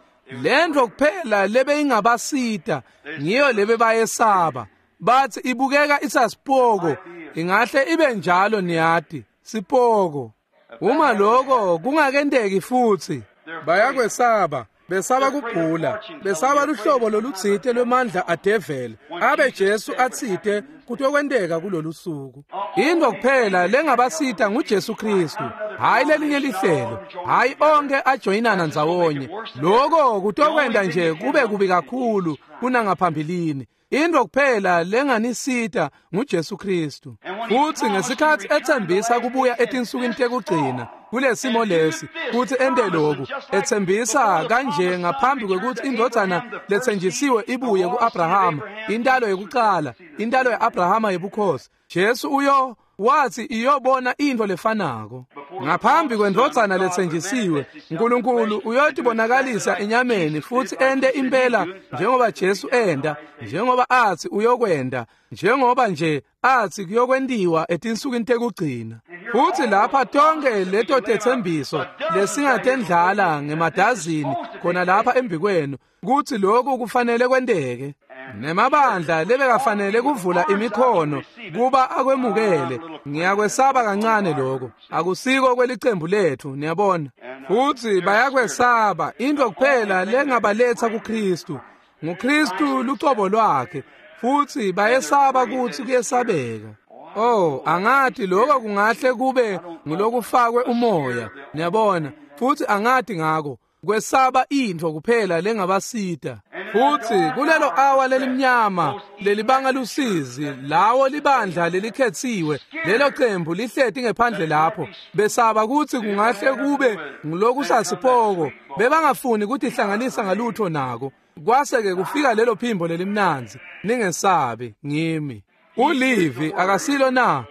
lentfo kuphela lebeyingabasita ngiyo lebebayesaba. Bathi ibukeka isasipoko, ingahle ibe njalo, niyati, sipoko. Uma lokho kungakenteki futhi, bayakwesaba, besaba kugula, besaba luhlobo lolutsite lwemandla adeveli, abe Jesu atsite kutokwenteka kulolu suku. Into kuphela lengabasita nguJesu Kristu, hayi lelinye lihlelo, hayi onke ajoyinana ndzawonye. Lokho kutokwenta nje kube kubi kakhulu kunangaphambilini. Into kuphela lenganisita nguJesu Kristu. Futhi ngesikhathi ethembisa kubuya etinsukwini tekugcina kulesimo lesi, kuthi ente lokhu, ethembisa kanje ngaphambi kwekuthi indvodzana lethenjisiwe ibuye kuAbrahama, intalo yekucala, intalo yaAbrahama yebukhosi. Jesu uyo wathi iyobona into lefanako. Ngaphambi kwendvodzana lethenjisiwe, uNkulunkulu uyotibonakalisa enyameni futhi ente impela njengoba Jesu enda, njengoba athi uyokwenda, njengoba nje athi kuyokwentiwa etinsukwini tekugcina. Futhi lapha tonke leto tetsembiso lesingatendlala ngemadazini khona lapha embikwenu kuthi lokhu kufanele kwenteke. Nemabandla lebekafanele kuvula imikhono kuba akwemukele. Ngiyakwesaba kancane lokho, akusiko kwelicembu lethu, niyabona. Futhi bayakwesaba. Into kuphela lengabaletha kuKristu nguKristu lucobo lwakhe, futhi bayesaba kuthi kuyesabeka. Oh, angathi lokho kungahle kube ngulokufakwe umoya, niyabona. Futhi angathi ngako kwesaba intfo kuphela lengabasita. Futhi kulelo awa lelimnyama lelibanga lusizi, lawo libandla lelikhetsiwe, lelo cembu lihleti ngephandle lapho, besaba kuthi kungahle kube ngulokusasipoko, bebangafuni kutihlanganisa ngalutho nako. Kwase-ke kufika lelo phimbo lelimnandzi, ningesabi, ngimi. Ulivi akasilo na?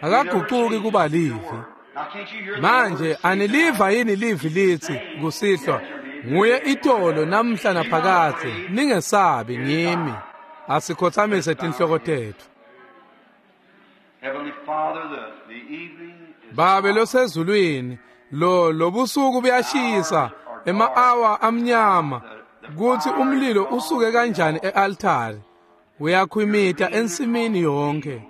Akagucuki kuba livi. Manje aniliva yini livi lithi kusihlwa, nguye itolo namhla naphakadze, ningesabi, ngimi. Asikhothamise tinhloko tetfu. Babe losezulwini, lo lobusuku buyashisa, ema-awa amnyama, kuthi umlilo usuke kanjani e-altari, uyakhwimita ensimini yonke.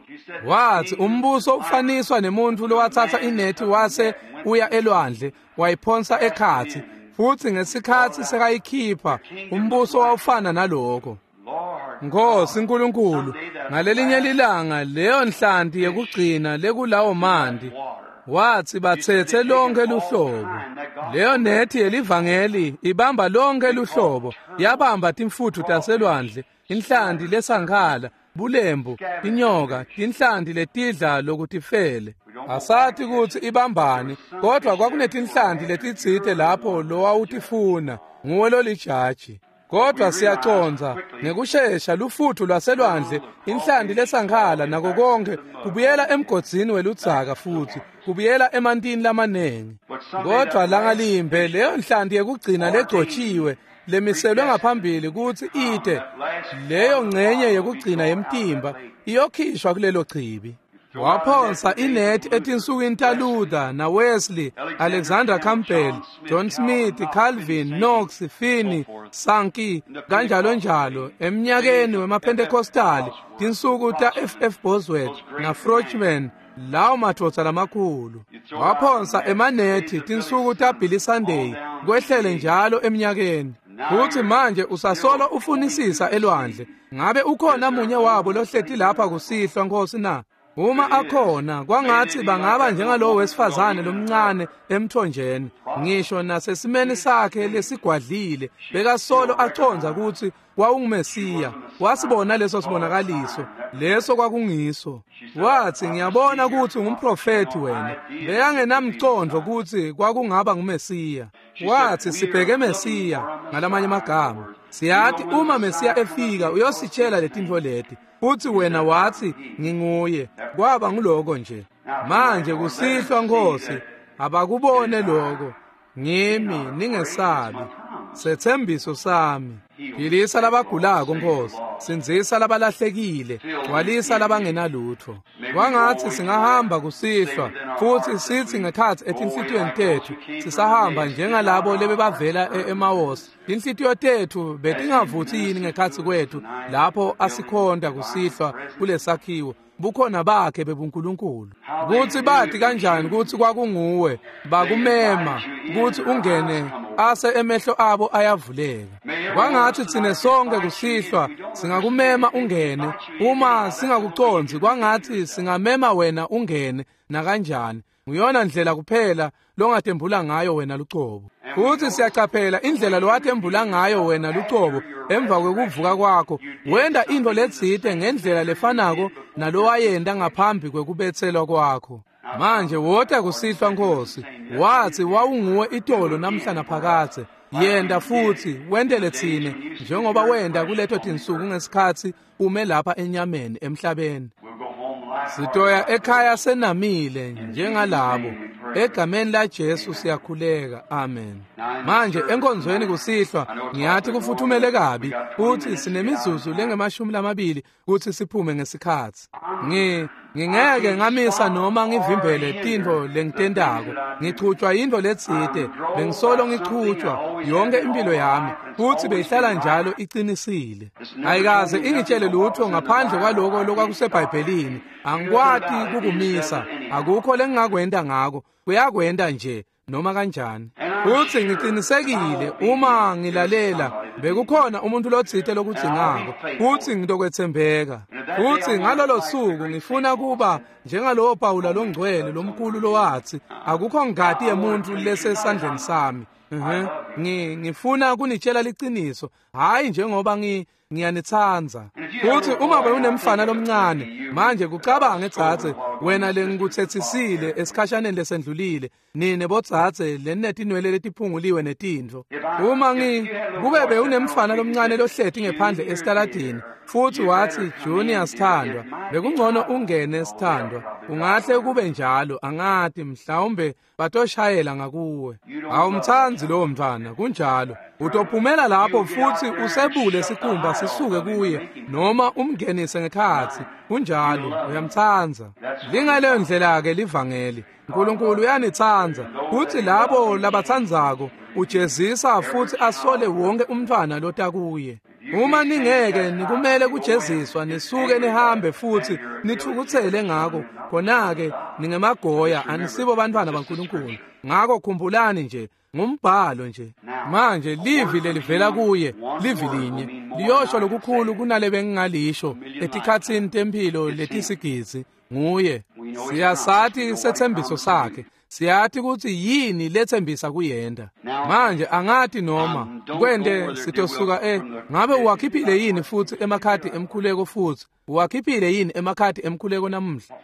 Wathi umbuso ufaniswa nemuntfu lowatsatsa inethi wase uya elwandle wayiphonsa ekhatsi, futsi ngesikhatsi sekayikhipha umbuso wawufana naloko. Nkosi Nkulunkulu, ngalelinye lilanga leyo nhlanti yekugcina lekulawo manti, wathi batsetse lonke luhlobo. Leyo nethi yelivangeli ibamba lonke luhlobo, yabamba timfutfu taselwandle, inhlanti lesankhala, bulembu, tinyoka, tinhlanti letidla lokutifele. Asati kutsi ibambani, kodwa kwakunetinhlanti letitsite lapho lowawutifuna, nguwe lolijaji. Kodwa siyacondza ngekushesha lufutfu lwaselwandle, inhlanti lesankhala nako konke kubuyela emgodzini weludzaka futsi kubuyela emantini lamanengi. Kodwa langalimbe leyo nhlanti yekugcina legcotjiwe lemiselwe ngaphambili kutsi ite leyo ngcenye yekugcina yemtimba iyokhishwa kulelo chibi. Waphonsa inethi etinsukwini taLuther naWesley, Alexander Campbell, John Smith, Calvin, Knox, Finney, Sankey, kanjalo njalo eminyakeni wemaPentecostali, tinsuku ta-F.F. Bosworth naFrochman, lawo madvodza lamakhulu. Waphonsa emanethi tinsuku taBilly Sunday, kwehlele njalo eminyakeni. Futhi manje usasolo ufunisisa elwandle. Ngabe ukhona munye wabo lohleti lapha kusihlwa, Nkosi na? Uma akhona, kwangathi bangaba njengalowo wesifazane lomncane emthonjeni, ngisho nasesimeni sakhe lesigwadlile, bekasolo acondza kutsi wawungumesiya. Wasibona leso sibonakaliso, leso kwakungiso. Wathi, ngiyabona kutsi ungumprofethi wena. Bekangenamcondvo kutsi kwakungaba ngumesiya. Wathi, sibheke Mesiya, ngalamanye amagama. Siyati uma Mesiya efika uyositshela letintfo leti. Futhi wena wathi nginguye. Kwaba nguloko nje. Manje kusihlwa, Nkosi, abakubone lokho. Ngimi, ningesabi. Setsembiso sami. Philisa labagulako, Nkosi. Sindzisa labalahlekile, gcwalisa labangenalutfo. Kwangatsi singahamba kusihlwa futsi sitsi ngekhatsi etinhlitiyweni tetfu sisahamba njengalabo lebebavela e-Emawusi. Tinhlitiyo tetfu betingavutsi yini ngekhatsi kwetfu lapho asikhonta kusihlwa kulesakhiwo, bukhona bakhe bebuNkulunkulu. Kutsi bati kanjani kutsi kwakunguwe, bakumema kutsi ungene ase emehlo abo ayavuleka. Kwangatsi tsine sonke kusihlwa singakumema ungene, uma singakucondzi kwangatsi singamema wena ungene nakanjani. Nguyona ndlela kuphela longatembula ngayo wena lucobo. Futhi siyacaphela indlela lowatembula ngayo wena lucobo emva kwekuvuka kwakho, wenta intfo letsite ngendlela lefanako nalowayenta ngaphambi kwekubetselwa kwakho. Manje wota kusihlwa, Nkosi. Wathi wawunguwe itolo namhla naphakadze. Yenta futhi wentele tsine njengoba wenta kuleto tinsuku ngesikhatsi ume lapha enyameni emhlabeni. Sitoya ekhaya senamile njengalabo. Egameni la Jesu siyakhuleka. Amen. Manje enkonzweni kusihlwa ngiyathi kufuthumele kabi futhi sinemizuzu lengamashumi kutsi siphume ngesikhatsi. Ngingeke ngamisa noma ngivimbele tintfo lengitentako. Ngichutjwa yintfo letsite, bengisolo ngichutjwa yonke impilo yami futhi beyihlala njalo iqinisile. Ayikaze ingitshele lutho ngaphandle kwaloko lokwakuseBhayibhelini. Angikwati kukumisa, akukho lengingakwenta ngako. Kuyakwenta nje noma kanjani. Futhi ngiqinisekile uma ngilalela bekukhona umuntu lotsite lokudzingako futhi ngitokwetsembeka. Futhi ngalolo suku ngifuna kuba njengalowo Pawula longcwele lomkhulu lowathi akukho ngati yemuntu lesesandleni sami. Ngifuna kunitshela liciniso, hayi njengoba ngiyanitsandza. Futhi uma bewunemfana lomncane manje kucabange dzadze wena lengikutsetsisile esikhashaneni lesendlulile, nine bodzadze lenetinwele letiphunguliwe netintfo. Uma kube bewunemfana lomncane lohleti ngephandle esitaladini futhi wathi Junior sithandwa, bekungcono ungene sithandwa, ungahle kube njalo, angati mhlawumbe batoshayela ngakuwe. Awumtsandzi lowo mntwana, kunjalo. Utophumela lapho futhi usebule sikhumba sisuke kuye noma umngenise ngekhatsi, kunjalo, uyamtsandza. Lingaleyo ndlela ke livangeli. uNkulunkulu uyanitsandza futhi labo labatsandzako ujezisa futhi asole wonke umntwana lotakuye. Uma ningeke nikumele kujeziswa, nisuke nihambe futhi nithukuthele ngako, khona-ke ningemagoya, anisibo bantwana baNkulunkulu. Ngakho khumbulani nje, ngumbhalo nje. Manje livi lelivela kuye, livi linye liyosho lokukhulu kunale bengingalisho etikhatsini temphilo letisigidzi. Nguye. Siyasati sethembiso sakhe, siyati ukuthi yini lethembisa kuyenda. Manje angati noma kwente sitosuka ngabe uwakhiphile yini futhi emakhadi emkhuleko futhi uwakhiphile yini emakhadi emkhuleko namuhla?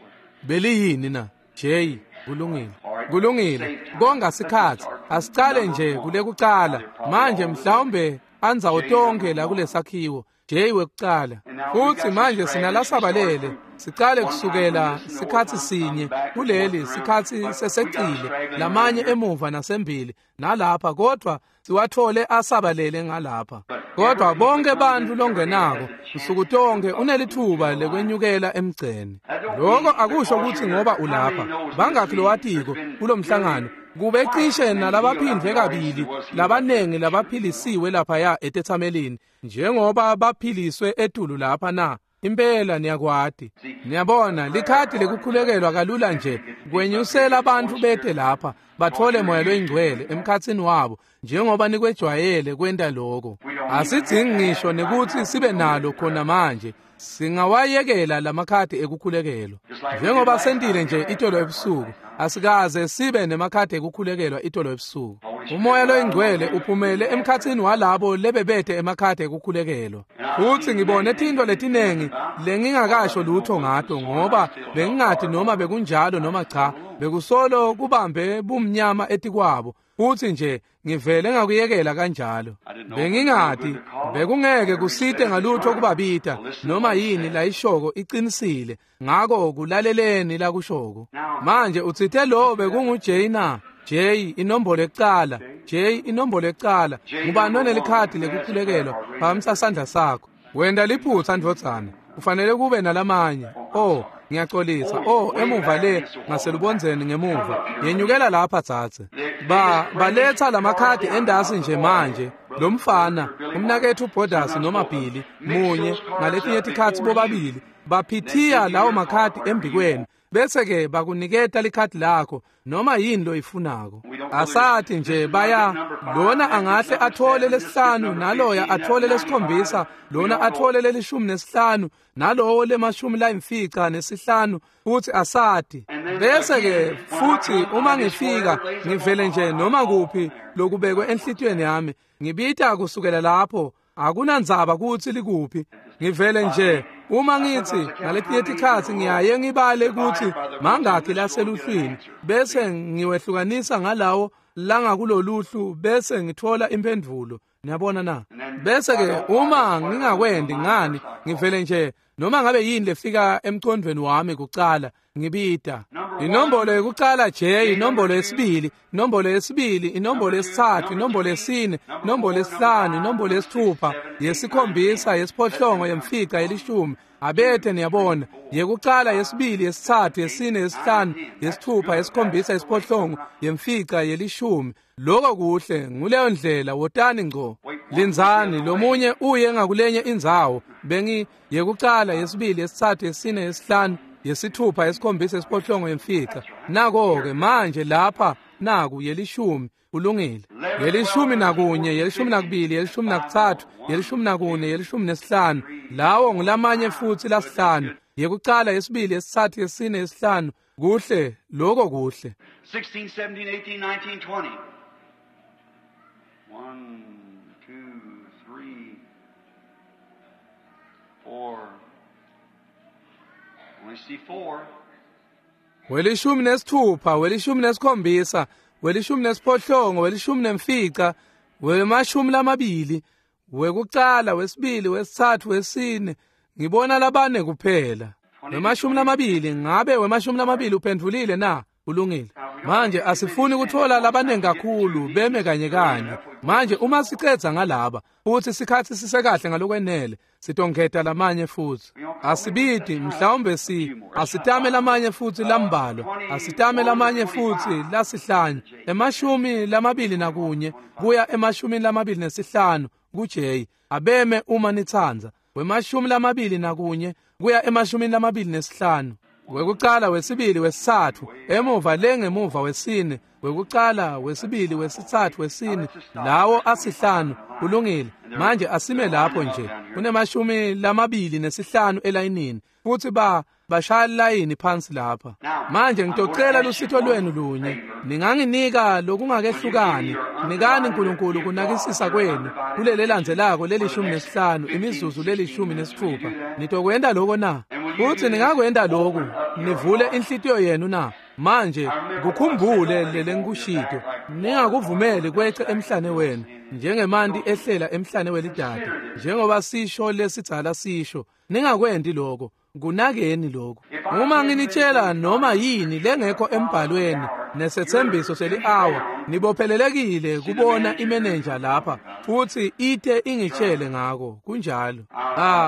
Beliyini na? J. Kulungile. Kulungile. Konga sikhathi. Asicale nje kulekucala. Manje mhlawumbe anzawo tonke la kulesakhiwo. J wekucala. Futhi manje sinalasabalele. Sicale kusukela sikhathi sinye kuleli sikhathi sesecile lamanye emuva nasembili nalapha, kodwa siwathole asabalele ngalapha. Kodwa bonke bantu longenako usuku tonke unelithuba lekwenyukela emgceni. Lokho akusho ukuthi ngoba ulapha. Bangakhi lowatiko kulomhlangano kube cishe nalabaphindwe kabili labanengi labaphilisiwe laphaya etethamelini njengoba baphiliswe etulu lapha na? Impela niyakwati. Niyabona, likhadi lekukhulekelwa kalula nje kwenyusela abantu bete lapha bathole moya loyingcwele emkhatsini wabo njengoba nikwejwayele kwenta lokho. Asidzingi ngisho nekuthi sibe nalo khona manje. Singawayekela lamakhadi ekukhulekelwa njengoba sentile nje itolo ebusuku. Asikaze sibe nemakhadi ekukhulekelwa itolo ebusuku. Umoya loyingcwele uphumele emkhatsini walabo lebebethe emakhadi ekukhulekelwa. Futhi ngibone tintfo letinengi lengingakasho lutho ngato ngoba bengingathi noma bekunjalo noma cha, bekusolo kubambe bumnyama etikwabo. Futhi nje ngivele ngakuyekela kanjalo. Bengingathi bekungeke kusite ngalutho kubabita noma yini layishoko iqinisile. Ngako kulaleleni lakushoko. Manje utsite lo bekungu J na? J inombolo ekucala, J inombolo ekucala. Ngubani onelikhadi lekukhulekelwa? Phakamisa sandla sakho. Wenda liphutha ndvodzana. Kufanele kube nalamanye. Oh, ngiyaxolisa. Oh, emuva le ngaselubondzeni ngemuva. Yenyukela lapha dzadze. Baletha lamakhadi endasi nje manje. Lo mfana, umnakethu Borders noma Billy, munye ngaletinye tikhatsi bobabili baphithiya lawo makhadi embikweni, bese ke bakuniketa likhadi lakho noma yini loyifunako. Asathi nje baya lona angahle athole lesihlanu, naloya athole lesikhombisa, lona athole lelishumi nesihlanu, nalowo lemashumi layimfica nesihlanu, futhi asathi. Bese ke futhi uma ngifika ngivele nje noma kuphi lokubekwe enhlitiyweni yami, ngibita kusukela lapho. Akunandzaba kutsi likuphi. Ngivele nje uma ngithi ngaletinye tikhatsi ngiyaye ngibale kutsi mangakhi laseluhlwini, bese ngiwehlukanisa ngalawo langakuloluhlu, bese ngithola imphendvulo. Niyabona na? Bese ke uma ngingakwendi ngani, ngivele nje noma ngabe yini lefika emcondweni wami kucala ngibita. Inombolo yokucala J, inombolo yesibili, inombolo yesibili, inombolo yesithathu, inombolo yesine, inombolo yesihlanu, inombolo yesithupha, yesikhombisa, yesiphohlongo, yemfica, yelishumi. Abethe niyabona, yekucala, yesibili, yesithathu, yesine, yesihlanu, yesithupha, yesikhombisa, yesiphohlongo, yemfica, yelishumi. Lokho kuhle, nguleyo ndlela. Wotani ngco. Lindzani, lomunye uye ngakulenye indzawo. Bengi yekucala, yesibili, yesithathu, yesine, yesihlanu, yesithupha, yesikhombisa, yesiphohlongo, yemfica. Nako-ke manje lapha naku yelishumi. Kulungile. Yelishumi nakunye, yelishumi nakubili, yelishumi nakutsatfu, yelishumi nakune, yelishumi nesihlanu. Lawo ngulamanye futhi lasihlanu. Yekucala, yesibili, yesitsatfu, yesine, yesihlanu. Kuhle, lokho kuhle. 16, 17, 18, 19, 20. 1, 2, 3, 4. Only see 4. Welishumi nesithupha, welishumi nesikhombisa, welishumi nesiphohlongo, welishumi nemfica, wemashumi lamabili, wekucala, wesibili, wesitsatfu, wesine. Ngibona labane kuphela. Wemashumi lamabili, ngabe wemashumi lamabili uphendvulile na? Kulungile. Manje asifuni kuthola labanengi kakhulu beme kanye kanye. Manje uma sicedza ngalaba futhi sikhathi sisekahle ngalokwenele, sitongeta lamanye futhi. Asibidi mhlawumbe asitame lamanye futhi lambalwa, asitame lamanye futhi lasihlanu, emashumi lamabili nakunye kuya emashumini lamabili nesihlanu. ku-J. Abeme uma nitsandza. 21 kuya 25. Wekucala, wesibili, wesitsatfu, emuva lengemuva wesine, wekucala, wesibili, wesitsatfu, wesine, lawo asihlanu. Kulungile. Manje asime lapho nje. Kune-25 elayinini futhi bashaya layini phansi lapha. Manje ngitocela lusito lwenu lunye. Ninganginika lokungakehlukani. Nikani uNkulunkulu kunakisisa kwenu kulele landzelako leli-15 imizuzu leli-16. Nitokwenda lokho na? Futhi ningakwenda lokhu nivule inhlitiyo yenu na? Manje kukhumbule lelengikushito. Ningakuvumeli kwece emhlane wenu njengemanti ehlela emhlane welidada, njengoba sisho lesidzala sisho. Ningakwendi lokho. Kunakeni lokho. Uma nginitshela noma yini lengekho embhalweni nesethembiso seli-hour, nibophelelekile kubona imenenja lapha futhi ite ingitshele ngako. Kunjalo.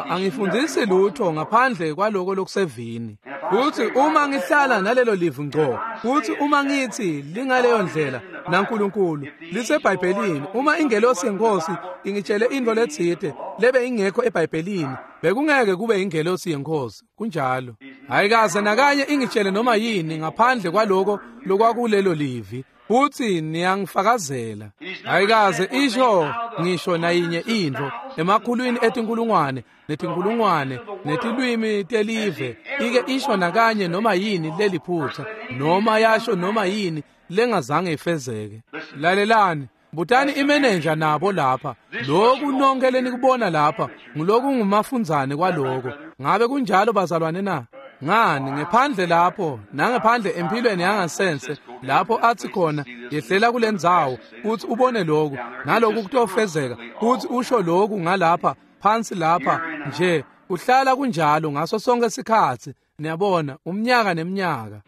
Angifundisi lutho ngaphandle kwaloko lokusevini. Futhi uma ngihlala nalelo livu ngco, futhi uma ngithi lingaleyo ndlela naNkulunkulu liseBhayibhelini, uma ingelosi yenkosi ingitshele into letsite lebe ingekho eBhayibhelini, bekungeke kube ingelosi yenkosi. Kunjalo. Ayikaze nakanye ingitshele noma yini ngaphandle kwaloko lokwakulelo livi, futhi niyangifakazela. Ayikaze isho ngisho nayinye intfo emakhulwini etinkulungwane netinkulungwane netilwimi telive ike isho nakanye noma yini leliphutha, noma yasho noma yini lengazange ifezeke. Lalelani. Butani imenenja nabo lapha. Lokhu nonke lenikubona lapha nguloku ngumafundzane kwaloko. Ngabe kunjalo bazalwane na? Ngani ngephandle lapho nangephandle empilweni yangasense lapho athi khona yehlela kulendzawo uthi ubone lokhu naloku kutofezeka, uthi usho lokhu ngalapha phansi lapha nje uhlala kunjalo ngaso sonke isikhatsi. Niyabona umnyaka neminyaka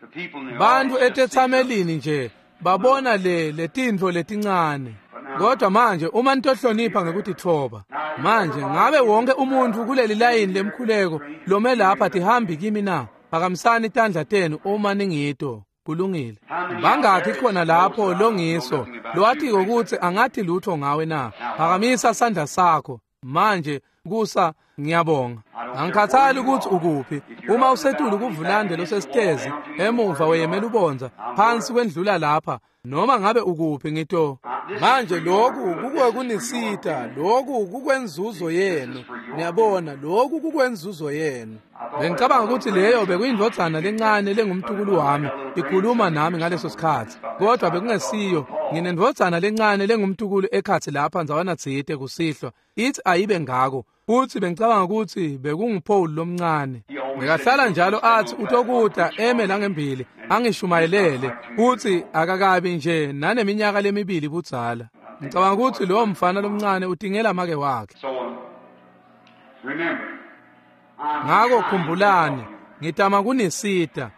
bantu etethamelini nje babona le tintfo letincane. Kodwa manje uma nitohlonipha ngekutitfoba, manje ngabe wonke umuntu kuleli layini lemkhuleko lome lapha tihambi kimi na? Phakamisani tandla tenu uma ningito. Kulungile. Bangakhi khona lapho longiso lowatiko ukuthi angathi lutho ngawe na? Phakamisa sandla sakho manje. Kusa ngiyabonga. Angikhathali ukuthi ukuphi. Uma usetulu kuvulande losesitezi emuva weyemela ubonza phansi kwendlula lapha, noma ngabe ukuphi ngito. Manje lokhu kukwekunisita, lokhu kukwenzuzo yenu. Niyabona lokhu kukwenzuzo yenu. Bengicabanga ukuthi leyo bekuyindvodzana lencane lengumtukulu wami ikhuluma nami ngaleso sikhatsi, kodwa bekungesiyo. Nginendvodzana lencane lengumtukulu ekhatsi lapha ndzawana tsite kusihlwa, ithi ayibe ngako. Futhi bengicabanga ukuthi bekunguPaul lomncane. Bekahlala njalo athi utokuta eme langembili angishumayelele, futhi akakabi nje naneminyaka lemibili budzala. Ngicabanga ukuthi lowo mfana lomncane utingela make wakhe. Ngako khumbulani, ngitama kunisita.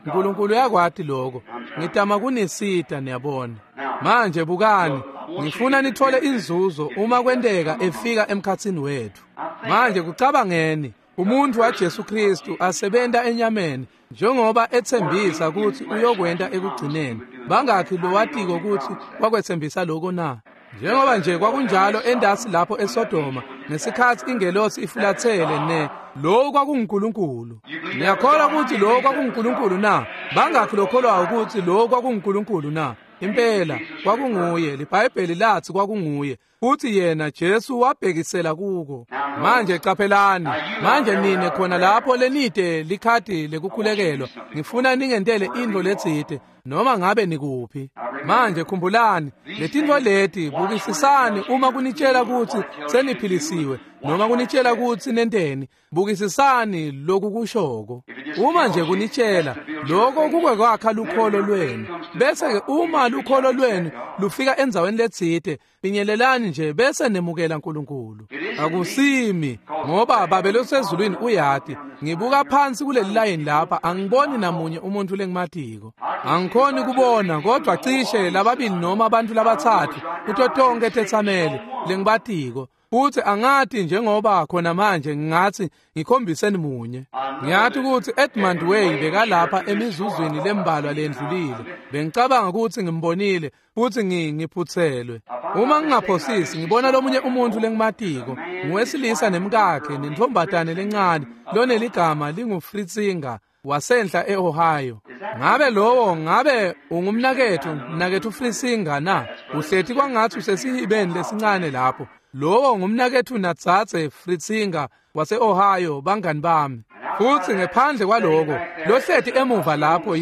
uNkulunkulu uyakwati lokho. Ngitama kunisita, niyabona. Manje bukani, ngifuna nithole inzuzo uma kwenteka efika emkhatsini wethu. Manje kucabangeni, umuntu waJesu Kristu asebenta enyameni njengoba ethembisa ukuthi uyokwenta ekugcineni. Bangakhi lowatiko ukuthi wakwethembisa lokho na? Njengoba nje kwakunjalo endasi lapho eSodoma ngesikhathi ingelosi ifulathele ne lo kwakunguNkulunkulu. Niyakholwa ukuthi lo kwakunguNkulunkulu na? Bangakhi lokholwayo ukuthi lo kwakunguNkulunkulu na? Impela kwakunguye. LiBhayibheli lathi kwakunguye, futhi yena Jesu wabhekisela kuko. Manje qaphelani. Manje nine khona lapho lenide likhadi lekukhulekelwa, ngifuna ningentele intfo letsite noma ngabe nikuphi. Manje khumbulani letintfo leti, bukisisani uma kunitshela ukuthi seniphilisiwe noma kunitshela ukuthi nenteni, bukisisani lokhu kushoko. Uma nje kunitshela lokho kukwakha lukholo lwenu, bese ke uma lukholo lwenu lufika endzaweni letsite, finyelelani nje bese nemukela uNkulunkulu. Akusimi ngoba Babe losezulwini uyati. Ngibuka phansi kuleli layini lapha, angiboni namunye umuntu lengimatiko. Angikhoni kubona kodwa cishe lababili noma abantu labathathu kuto tonke tetsameli lengibatiko. Futhi angati njengoba khona manje ngingathi ngikhombiseni munye. Ngiyathi ukuthi Edmund Way bekalapha emizuzwini lembalwa lendlulile. Bengicabanga ukuthi ngimbonile futhi ngiphuthelwe. Uma ngingaphosisi ngibona lomunye umuntu lengimatiko, nguwesilisa nemkakhe nentombatane lencane loneligama linguFritzinger wasenhla eOhio. Ngabe lowo ngabe ungumnakethu, mnakethu Fritzinger na? Uhleti kwangathi usesihibeni lesincane lapho. Lowo ngumnakethu natsatse Fritzinger wase-Ohio, bangani bami. Futhi ngephandle kwaloko, lohleti emuva lapho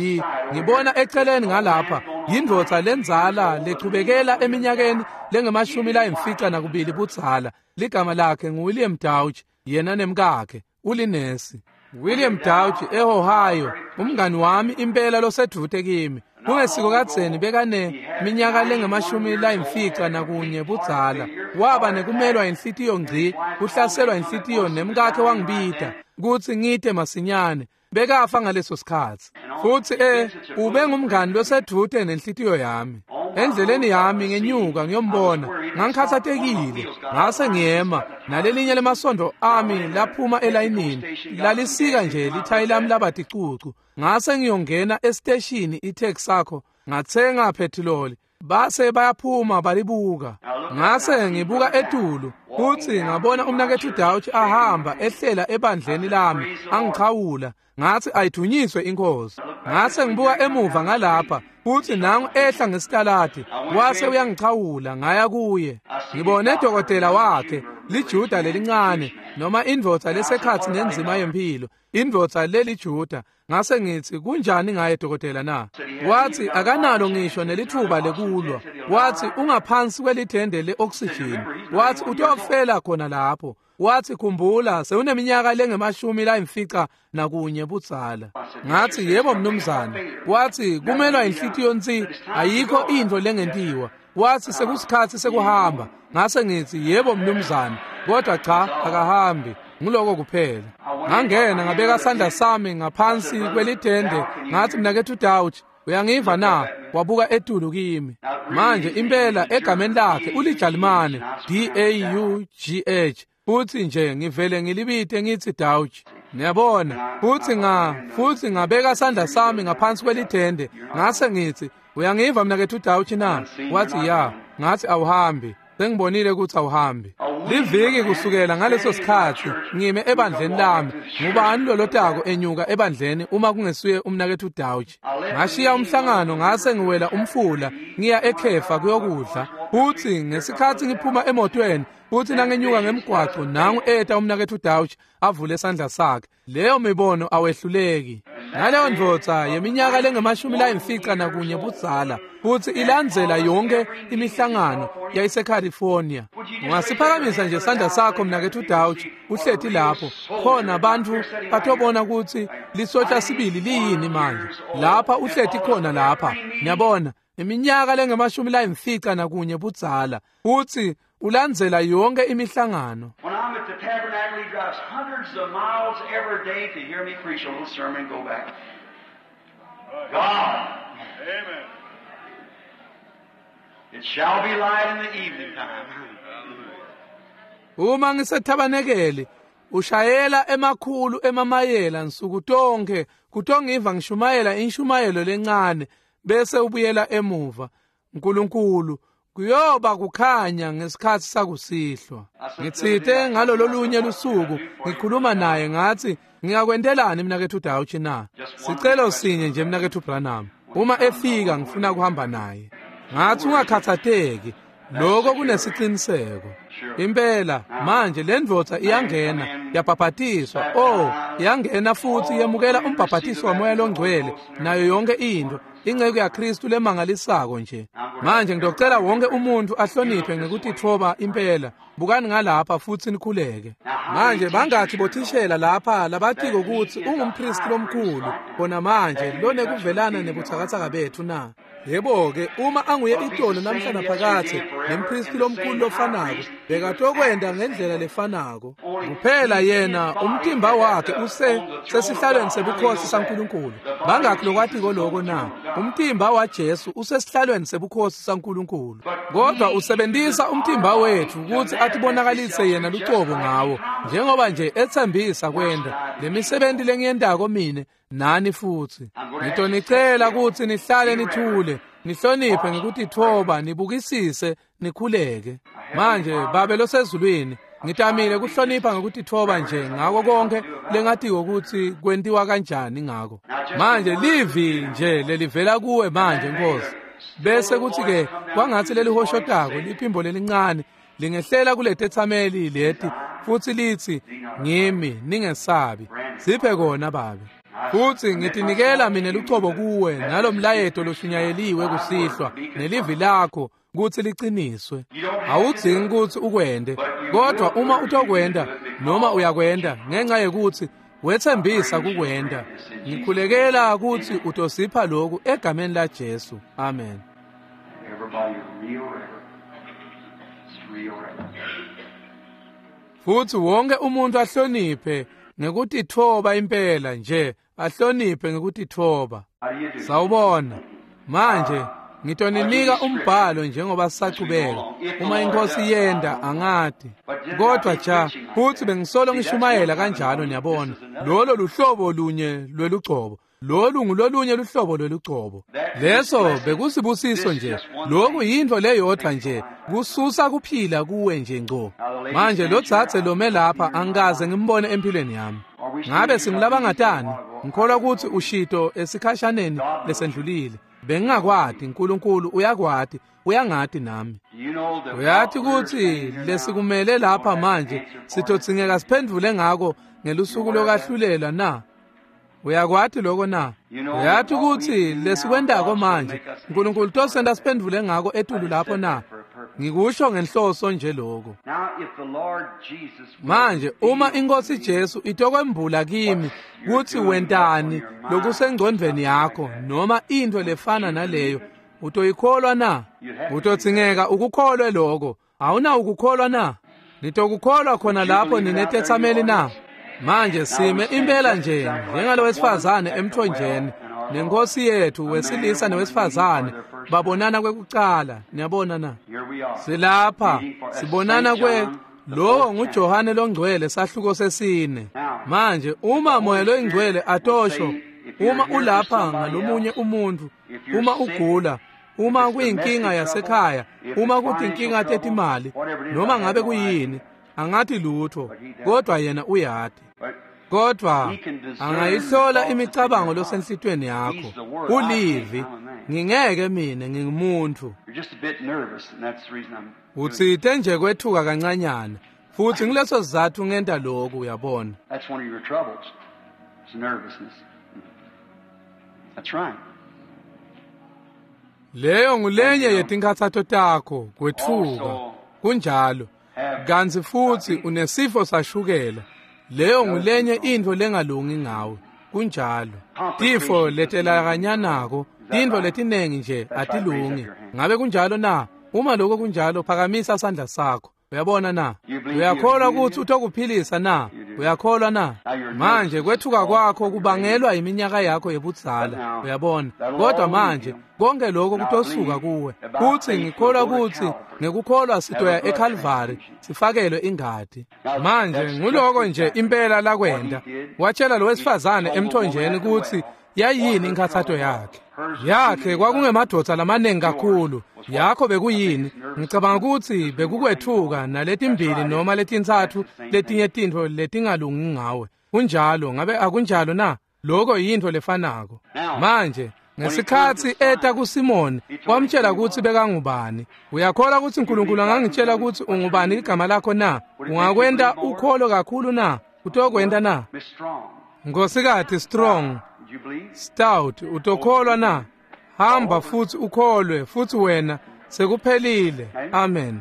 ngibona eceleni ngalapha, yindvodza lenzala lechubekela eminyakeni lengamashumi-52 budzala. Ligama lakhe nguWilliam Dauch, yena nemkakhe, ulinesi. William Dauch eOhio, umngani wami impela losedvute kimi. Kungesiko kadzeni bekane minyaka lengamashumi-51 budzala. Waba nekumelwa inhlitiyo ngci, kuhlaselwa inhlitiyo nemkakhe wangibita kutsi ngite masinyane. Bekafa ngaleso sikhatsi. Futhi ube ngumngani losedvute nenhlitiyo yami. Endleleni yami ngenyuka ngiyombona, ngangikhathatekile, ngase ngiyema, nalelinye lemasondo ami laphuma elayinini, lalisika nje lithayi lami laba ticucu. Ngase ngiyongena esiteshini iTexaco, ngathenga phethiloli, base bayaphuma balibuka. Ngase ngibuka etulu, futhi ngabona umnakethu Dauch ahamba ehlela ebandleni lami, angichawula. Ngathi ayithunyiswe inkosi. Ngase ngibuka emuva ngalapha, futhi nangu ehla ngesitaladi, wase uyangichawula ngaya kuye. Ngibone dokotela wakhe, liJuda lelincane, noma indvodza lesekhatsi nenzima yempilo, indvodza leliJuda. Ngase ngithi kunjani ngaye dokotela na? Wathi akanalo ngisho nelithuba lekulwa. Wathi ungaphansi kwelithende le-oxygen. Wathi utofela khona lapho. Wathi khumbula sewuneminyaka lengamashumi-51 budzala. Ngathi yebo mnumzane. Wathi kumelwa inhlitiyo nsi, ayikho into lengentiwa. Wathi sekusikhatsi sekuhamba. Ngase ngithi yebo mnumzane, kodwa cha akahambi. Nguloko kuphela. Ngangena ngabeka sandla sami ngaphansi kwelithende, ngathi mnakethu Dauch, uyangiva na? Wabuka etulu kimi. Manje impela egameni lakhe uliJalimane, D-A-U-G-H. Futhi nje ngivele ngilibite ngithi Dauch. Niyabona, futhi ngabeka sandla sami ngaphansi kwelithende, ngase ngithi uyangiva mnakethu Dauch na? Wathi ya. Ngathi awuhambi. Sengibonile ukuthi awuhambi. Liviki kusukela ngaleso sikhatsi ngime ebandleni lami. Ngubani lolotako enyuka ebandleni uma kungesuye umnakethu Dauch? Ngashiya umhlangano ngase ngiwela umfula ngiya ekhefa kuyokudla. Futhi ngesikhatsi ngiphuma emotweni, futhi nangenyuka ngemgwaco, nangu eta umnakethu Dauch avule isandla sakhe. Leyo mibono awehluleki. Ngaleyo ndvodza yeminyaka lengamashumi-51 budzala, futhi ilandzela yonke imihlangano yayiseCalifornia. Ungasiphakamisa nje sandla sakho mnakethu Dauch, uhleti lapho. Khona bantfu batobona ukuthi lisotja sibili liyini manje. Lapha uhleti khona lapha. Niyabona, iminyaka lengamashumi-51 budzala, futhi ulandzela yonke imihlangano. When I'm at the tabernacle, he drives hundreds of miles every day to hear me preach a little sermon and go back. God. Amen. It shall be light in the evening time. Uma ngisethabanekele, ushayela emakhulu emamayela nsuku tonke kutongiva ngishumayela inshumayelo lencane bese ubuyela emuva. uNkulunkulu kuyoba kukhanya ngesikhathi sakusihlwa. Ngitsite ngalolo lunye lusuku ngikhuluma naye ngathi ngingakwentelani mnakethu Dauch na? Sicelo sinye nje mnakethu Branham. Uma efika ngifuna kuhamba naye. Ngathi ungakhathatheki, lokho kunesiqiniseko. Impela manje le ndvodza iyangena yabhabhatiswa. Oh, iyangena futhi yemukela umbhabhatiso waMoya loNgcwele nayo yonke into. Ingceku yaKristu lemangalisako nje. Manje ngidocela wonke umuntu ahloniphe ngekutitfoba impela. Bukani ngalapha futhi nikhuleke. Manje bangathi bothishela lapha labatiko ukuthi ungumpristi lomkhulu khona manje lonekuvelana nebuthakathaka bethu na? Yebo-ke, uma anguye itolo namhla naphakathe nempristi lomkhulu lofanako, bekatokwenda ngendlela lefanako. Kuphela yena umtimba wakhe use sesihlalweni sebukhosi saNkulunkulu. Bangakhi lokwatiko loko na? Umtimba waJesu usesihlalweni sebukhosi saNkulunkulu, kodwa usebenzisa umtimba wethu ukuthi atibonakalise yena lucobo ngawo, njengoba nje ethembisa kwenda lemisebenzi lengiyendako mine nani futhi. Ngitonicela ukuthi nihlale nithule, nihloniphe ngekutithoba, nibukisise, nikhuleke. Manje Babe losezulwini, ngitamile kuhlonipha ngekutithoba nje ngako konke lengatiko ukuthi kwentiwa kanjani ngako. Manje livi nje lelivela kuwe manje Nkosi, bese kuthi ke kwangathi lelihoshotako liphimbo lelincane lingehlela kuletethameli leti futhi lithi ngimi, ningesabi. Siphe kona Babe. Futhi ngitinikela mina lucobo kuwe nalomlayeto loshunyayeliwe kusihlwa nelivi lakho kuthi liqiniswe. Awudzingi ukuthi ukwende, kodwa uma utokwenda noma uyakwenda ngenxa yekuthi wethembisa kukwenda, ngikhulekela ukuthi utosipha lokhu egameni la Jesu. Amen. Futhi wonke umuntu ahloniphe ngekutithoba impela nje, ahloniphe ngekutithoba. Sawubona. Manje ngitoninika umbhalo njengoba sisachubeka. Uma inkosi yenda angati, kodwa cha, futhi bengisolo ngishumayela kanjalo, niyabona. Lolo luhlobo lunye lwelugcobo, lolu ngulolunye luhlobo lwelugcobo. Leso bekusibusiso nje, lokhu yinto leyodwa nje, kususa kuphila kuwe nje ngco. Manje lo dzadze lome lapha angikaze ngimbone empilweni yami. Ngabe singulabangatani? Ngikholwa ukuthi ushito esikhashaneni lesendlulile. Bengingakwati, uNkulunkulu uyakwati, uyangati nami. Uyathi ukuthi lesikumele lapha manje sitodzingeka siphendvule ngako ngelusuku lokahlulela na? Uyakwati lokho na? Uyathi ukuthi lesikwendako manje uNkulunkulu tosenda siphendvule ngako etulu lapho na? Ngikusho ngenhloso nje lokho. Manje uma inkosi Jesu itokwembula kimi kuthi wentani lokusengcondvweni yakho noma into lefana naleyo, utoyikholwa na? Utodzingeka ukukholwe lokho. Awuna ukukholwa na? Nitokukholwa khona lapho ninetethameli na? Manje sime impela nje njengalo wesifazane emthonjeni nenkosi yethu, wesilisa nowesifazane babonana kwekucala. Niyabona na? Silapha sibonana kwe lowo nguJohane longcwele sahluko sesine. Manje uma moya loyingcwele atosho, uma ulapha ngalomunye umuntu, uma ugula, uma kuyinkinga yasekhaya, uma kuyinkinga tetimali, noma ngabe kuyini, angathi lutho, kodwa yena uyati. Kodwa angayihlola imicabango losenhlitweni yakho. Ulivi, ngingeke mina ngingumuntu. Utsite nje kwethuka kancanyana, futhi ngileso sizathu ngenta lokhu, uyabona. Leyo ngulenye yetinkhatsato takho, kwethuka. Kunjalo. Kanti futhi unesifo sashukela. Leyo ngulenye into lengalungi ngawe. Kunjalo. Tifo letelakanyanako, tintfo letinengi nje atilungi. Ngabe kunjalo na? Uma lokho kunjalo, phakamisa sandla sakho. Uyabona na? Uyakholwa ukuthi utokuphilisa na? Uyakholwa na? Manje kwethuka kwakho kubangelwa iminyaka yakho yebudzala. Uyabona? Kodwa manje konke lokho kutosuka kuwe. Futhi ngikholwa ukuthi ngekukholwa sitoya eCalvary sifakelwe ingadi. Manje nguloko nje impela lakwenda. Watshela lo wesifazane emthonjeni ukuthi yayini inkhathato yakhe. Yakhe kwakungemadoda lamaningi kakhulu. Yakho bekuyini? Ngicabanga ukuthi bekukwethuka naletimbili noma letintsatfu letinye tintfo letingalungi ngawe. Kunjalo, ngabe akunjalo na? Lokho yintfo lefanako. Manje ngesikhatsi eta kuSimoni, wamtshela ukuthi bekangubani. Uyakholwa ukuthi uNkulunkulu angangitshela ukuthi ungubani igama lakho na? Ungakwenta ukholo kakhulu na? Utokwenta na? Nkosikati Strong, Stout, utokholwa na? Hamba futhi ukholwe, futhi wena sekuphelile. Amen.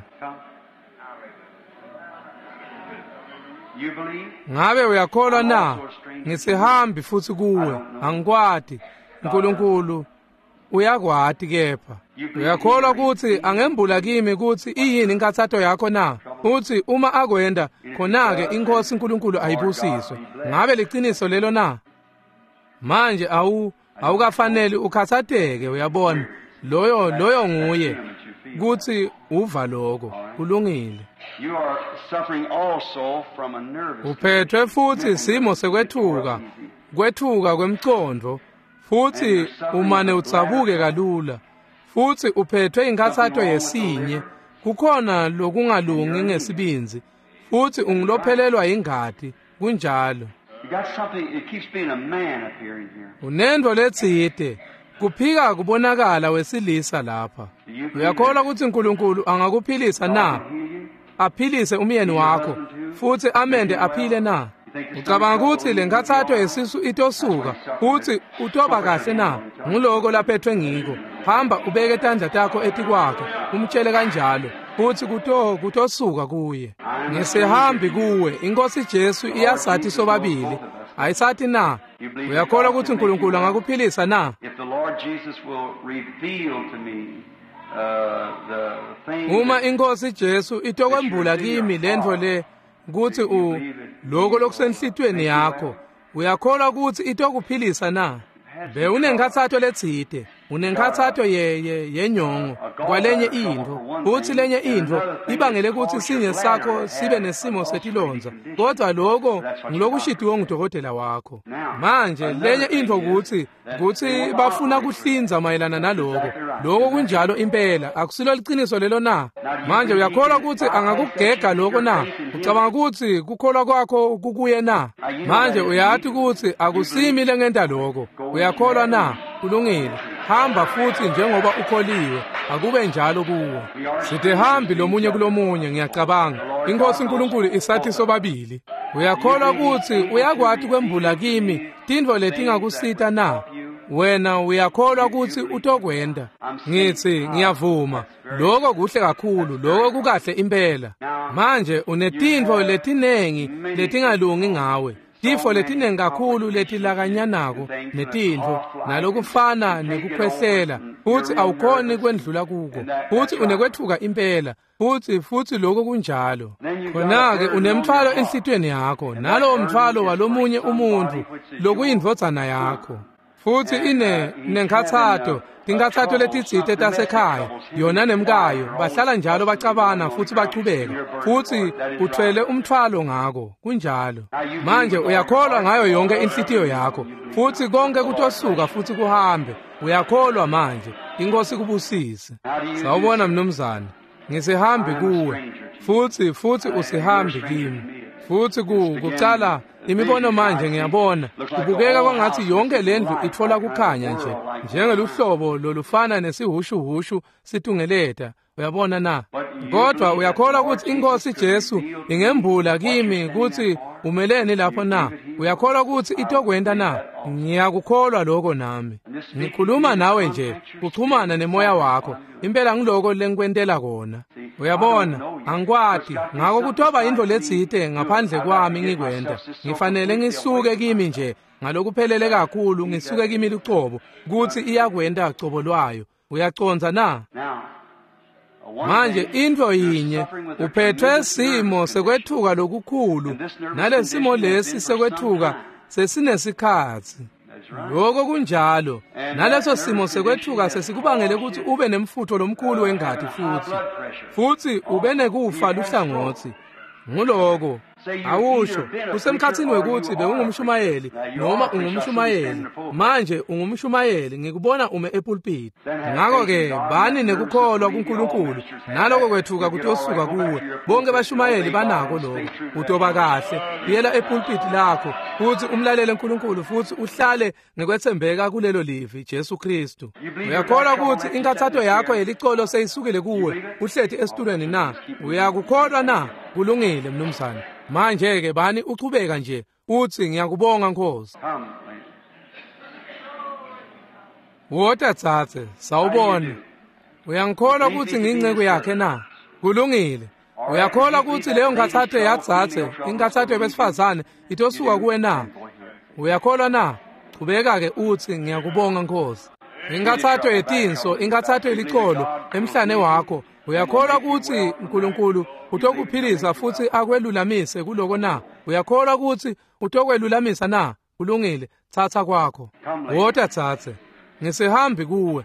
Ngabe uyakholwa na? Ngisihambi futhi kuwe, angikwati. uNkulunkulu uyakwati kepha. Uyakholwa ukuthi angembula kimi ukuthi iyini inkathato yakho na? Uthi uma akwenda, khona-ke inkosi uNkulunkulu ayibusiswe. Ngabe liqiniso lelo na? Manje Awukafaneli ukhathazeke, uyabona. Loyo nguye kutsi uva lokho. Kulungile. You are suffering also from a nervous Uphethwe futhi simo sekwethuka, kwethuka kwemcondvo, futhi umane utsabuke kalula. Futhi uphethwe inkathato yesinye, kukhona lokungalungi ngesibindzi, futhi ungulophelelwa ingati, kunjalo. You got something, it keeps being a man appearing here. Unento letsite, kuphika kubonakala wesilisa lapha. Uyakholwa ukuthi uNkulunkulu angakuphilisa na? Aphilise umyeni wakho futhi amende aphile na? Ucabanga ukuthi le nkathato yesisu itosuka futhi utoba kahle na? Nguloko laphethwe ngiko. Hamba ubeke tandla takho etikwakhe, umtshele kanjalo, futhi kutosuka kuye. Ngisihambi kuwe, iNkosi Jesu iyasathi sobabili. Ayisathi na? Uyakholwa ukuthi uNkulunkulu angakuphilisa na? If the Lord Jesus will reveal to me the thing Uma iNkosi Jesu itokwembula kimi lentfo le kutsi lokho lokusenhlitweni yakho, uyakholwa ukuthi itokuphilisa na? Bewunenkathato letsite, unenkathato yenyongo kwalenye intfo, futsi lenye intfo ibangele kutsi sinye sakho sibe nesimo setilondza, kodwa lokho ngilokushitiwe ngudokotela wakho. Manje lenye intfo kutsi bafuna kuhlinza mayelana naloko. Lokho kunjalo impela, akusilo liciniso lelo na? Manje uyakholwa kutsi angakugega lokho na? Ucabanga kutsi kukholwa kwakho kukuye na? Manje uyati kutsi akusimi lengenta lokho. Uyakholwa na? Kulungile. Hamba futhi njengoba ukholiwe, akube njalo kuwe. Sidehambi lomunye kulomunye, ngiyacabanga. INkosi uNkulunkulu isathi sobabili. Uyakholwa kutsi uyakwati kwembula kimi tintfo letingakusita na? Wena uyakholwa kutsi utokwenta? Ngitsi ngiyavuma. Lokho kuhle kakhulu, lokho kukahle impela. Manje unetintfo letinengi letingalungi ngawe. Tifo letinengi kakhulu letilakanyanako netintfo nalokufana nekukhwehlela, futsi awukhoni kwendlula kuko, futsi unekwethuka impela, futsi lokho kunjalo. Khona-ke unemthwalo enhlitiyweni yakho, nalowo mthwalo walomunye umuntfu lokuyindvodzana yakho. Futhi inenkhathato, tinkhathato letitsite tasekhaya, yona nemkayo bahlala njalo bacabana futhi bachubeka, futhi uthwele umthwalo ngako, kunjalo. Manje uyakholwa ngayo yonke inhlitiyo yakho, futhi konke kutosuka futhi kuhambe. Uyakholwa manje. INkosi kubusise. Sawubona mnumzane, ngisihambi kuwe, futhi usihambi kimi. Futhi kucala imibono manje ngiyabona kubukeka kwangathi yonke lendlu itfola kukhanya nje njengeluhlobo lolufana nesihushuhushu situngeleta. Uyabona na? Kodwa uyakholwa ukuthi iNkosi Jesu ingembula kimi kutsi umeleni lapho na? Uyakholwa ukuthi itokwenta na? Ngiyakukholwa lokho nami. Ngikhuluma nawe nje, kuchumana nemoya wakho. Impela ngiloko lengikwentela kona. Uyabona, angikwati. Ngako kutoba intfo letsite ngaphandle kwami ngikwenta. Ngifanele ngisuke kimi nje ngalokuphelele kakhulu, ngisuke kimi lucobo kutsi iyakwenta cobo lwayo. Uyacondza na? Manje intfo yinye, uphethwe simo sekwethuka lokukhulu, nalesimo lesi sekwethuka sesinesikhatsi. Lokho kunjalo. Naleso simo sekwethuka sesikubangele kutsi ube nemfutho lomkhulu wengati futhi ube nekufa luhlangotsi. Nguloko awusho kusemkhatsini wekuthi bewungumshumayeli noma ungumshumayeli. Manje ungumshumayeli, ngikubona ume epulpit. Ngakho-ke bani nekukholwa kuNkulunkulu, naloko kwethuka kutosuka kuwe. Bonke bashumayeli banako lokho. Utoba kahle, buyela epulpit lakho futhi umlalele uNkulunkulu futhi uhlale ngekwethembeka kulelo livi Jesu Kristu. Uyakholwa ukuthi inkathato yakho yelicolo seyisukile kuwe, uhleti esitulweni na? Uyakukholwa na? Kulungile mnumzane. Manje-ke bani uchubeka nje uthi ngiyakubonga Nkosi. Wota tsatse, sawubona. Uyangikholwa ukuthi ngiyinceku yakhe na? Kulungile. Uyakholwa ukuthi leyo nkathato yatsatse, inkathato yabesifazane itosuka kuwe na? Uyakholwa na? Chubeka-ke uthi ngiyakubonga Nkosi. Inkathato yetinso, inkathato yelicolo emhlane wakho. Uyakholwa ukuthi uNkulunkulu utokuphilisa futhi akwelulamise kuloko na? Uyakholwa ukuthi utokwelulamisa na? Kulungile, tsatsa kwakho. Wota tsatse. Ngisihambi kuwe.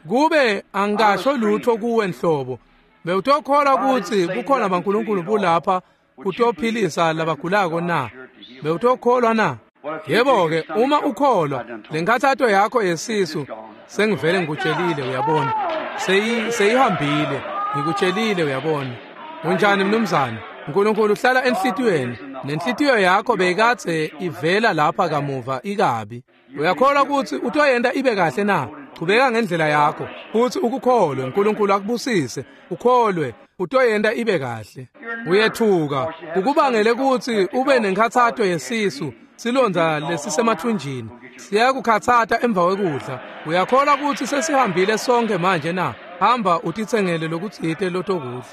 Kube angasho lutho kuwe nhlobo. Bewutokholwa kutsi kukhona baNkulunkulu bulapha kutophilisa labagulako na? Bewutokholwa na? Yebo-ke, uma ukholwa, lenkhathato yakho yesisu sengivele ngikutshelile, uyabona. Seyihambile, ngikutshelile, uyabona. Unjani mnumzane? uNkulunkulu uhlala enhlitiyweni, nenhlitiyo yakho beyikadze ivela lapha kamuva ikabi. Uyakholwa kutsi utoyenta ibe kahle na? Chubeka ngendlela yakho futsi ukukholwe. uNkulunkulu akubusise. Ukholwe, utoyenta ibe kahle. Uyethuka, kukubangele kutsi ube nenkhatsato yesisu, silondza lesisemathunjini siyakukhatsata emva kwekudla. Uyakholwa kutsi sesihambile sonke manje na? Hamba utitsengele lokutsite lotokudla.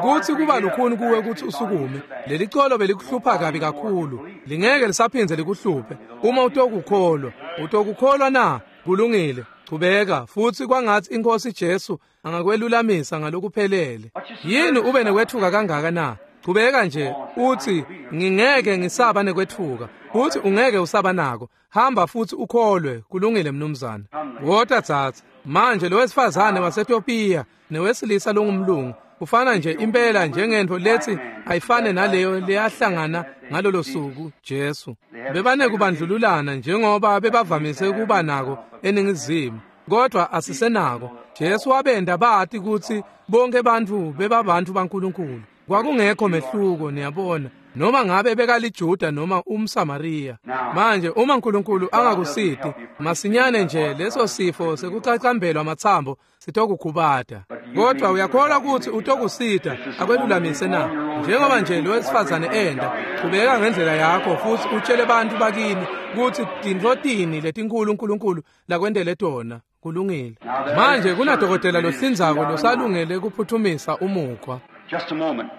Kutsi kuba lukhuni kuwe kutsi usukume. Leli colo belikuhlupha kabi kakhulu, lingeke lisaphindze likuhluphe uma utokukholwa. Utokukholwa na? Kulungile, chubeka futsi kwangatsi iNkhosi Jesu angakwelulamisa ngalokuphelele. Yini ube nekwetfuka kangaka na? Chubeka nje uthi ngingeke ngisaba nekwetfuka, futhi ungeke usaba nako. Hamba futhi ukholwe. Kulungile mnumzane. Wota tsatsa. Manje lo wesifazane waseTopiya newesilisa longumlungu ufana nje impela njengento lethi ayifane naleyo leyahlangana ngalolo suku Jesu. Bebanekubandlululana njengoba bebavamise kuba nako eningizimu, kodwa asisenako. Jesu wabenda bati kutsi bonke bantfu bebabantu baNkulunkulu. Kwakungekho mehluko, niyabona, noma ngabe bekaliJuda noma umSamariya. Manje uma uNkulunkulu angakusiti masinyane nje leso sifo sekucacambelwa amathambo sitokukhubata. Kodwa uyakholwa kutsi utokusita akwelulamise na? Njengoba nje lo wesifazane enda, chubeka ngendlela yakho futsi utshele bantfu bakini kutsi tintfo tini letinkulu uNkulunkulu lakwentele tona. Kulungile. Manje kunadokotela lohlinzako losalungele kuphuthumisa umukhwa. Just a moment.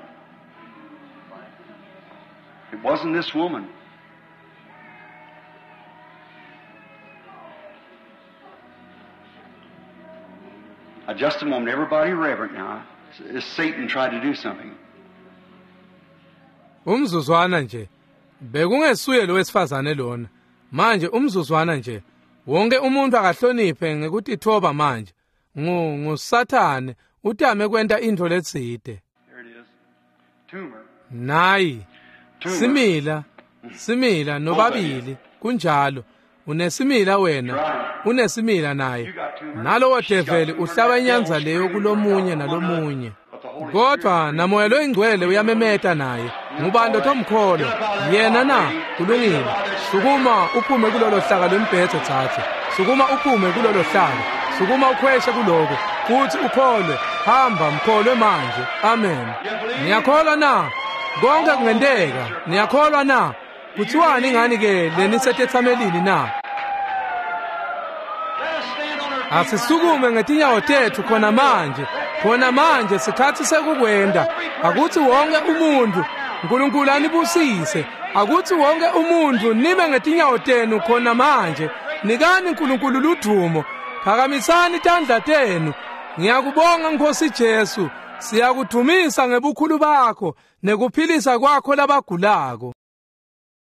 It wasn't this woman. Now, just a moment. Everybody reverent now. As Satan tried to do something. Umzuzwana nje. Bekungesuye lo wesifazane lona. Manje umzuzwana nje. Wonke umuntu akahloniphe ngekutithoba manje. NguSathane utame kwenta intfo letsite. There it is. Tumor. Nayi. Simila, simila nobabili kunjalo. Unesimila wena, unesimila naye. Nalowo develi uhlaba inyanza leyo kulomunye nalomunye. Kodwa namoya loyingcwele uyamemeta naye. Ngubani lotomkholwa? Yena na? Kulungile. Sukuma uphume kulolo hlaka lwembhedze tsatse. Sukuma uphume kulolo hlaka. Sukuma ukhweshe kuloko futhi ukholwe. Hamba mkholwe manje. Amen. Niyakholwa na? Konke kungenteka. Niyakholwa na? Kuthiwani ngani ke lenisetethamelini na? Asisukume ngetinyawo tethu khona manje. Khona manje sikhathi sekukwenda. Akuthi wonke umuntu, uNkulunkulu anibusise. Akuthi wonke umuntu nime ngetinyawo tenu khona manje. Nikani uNkulunkulu ludumo. Phakamisani tandla tenu. Ngiyakubonga Nkosi Jesu. Siyakudumisa ngebukhulu bakho nekuphilisa kwakho labagulako.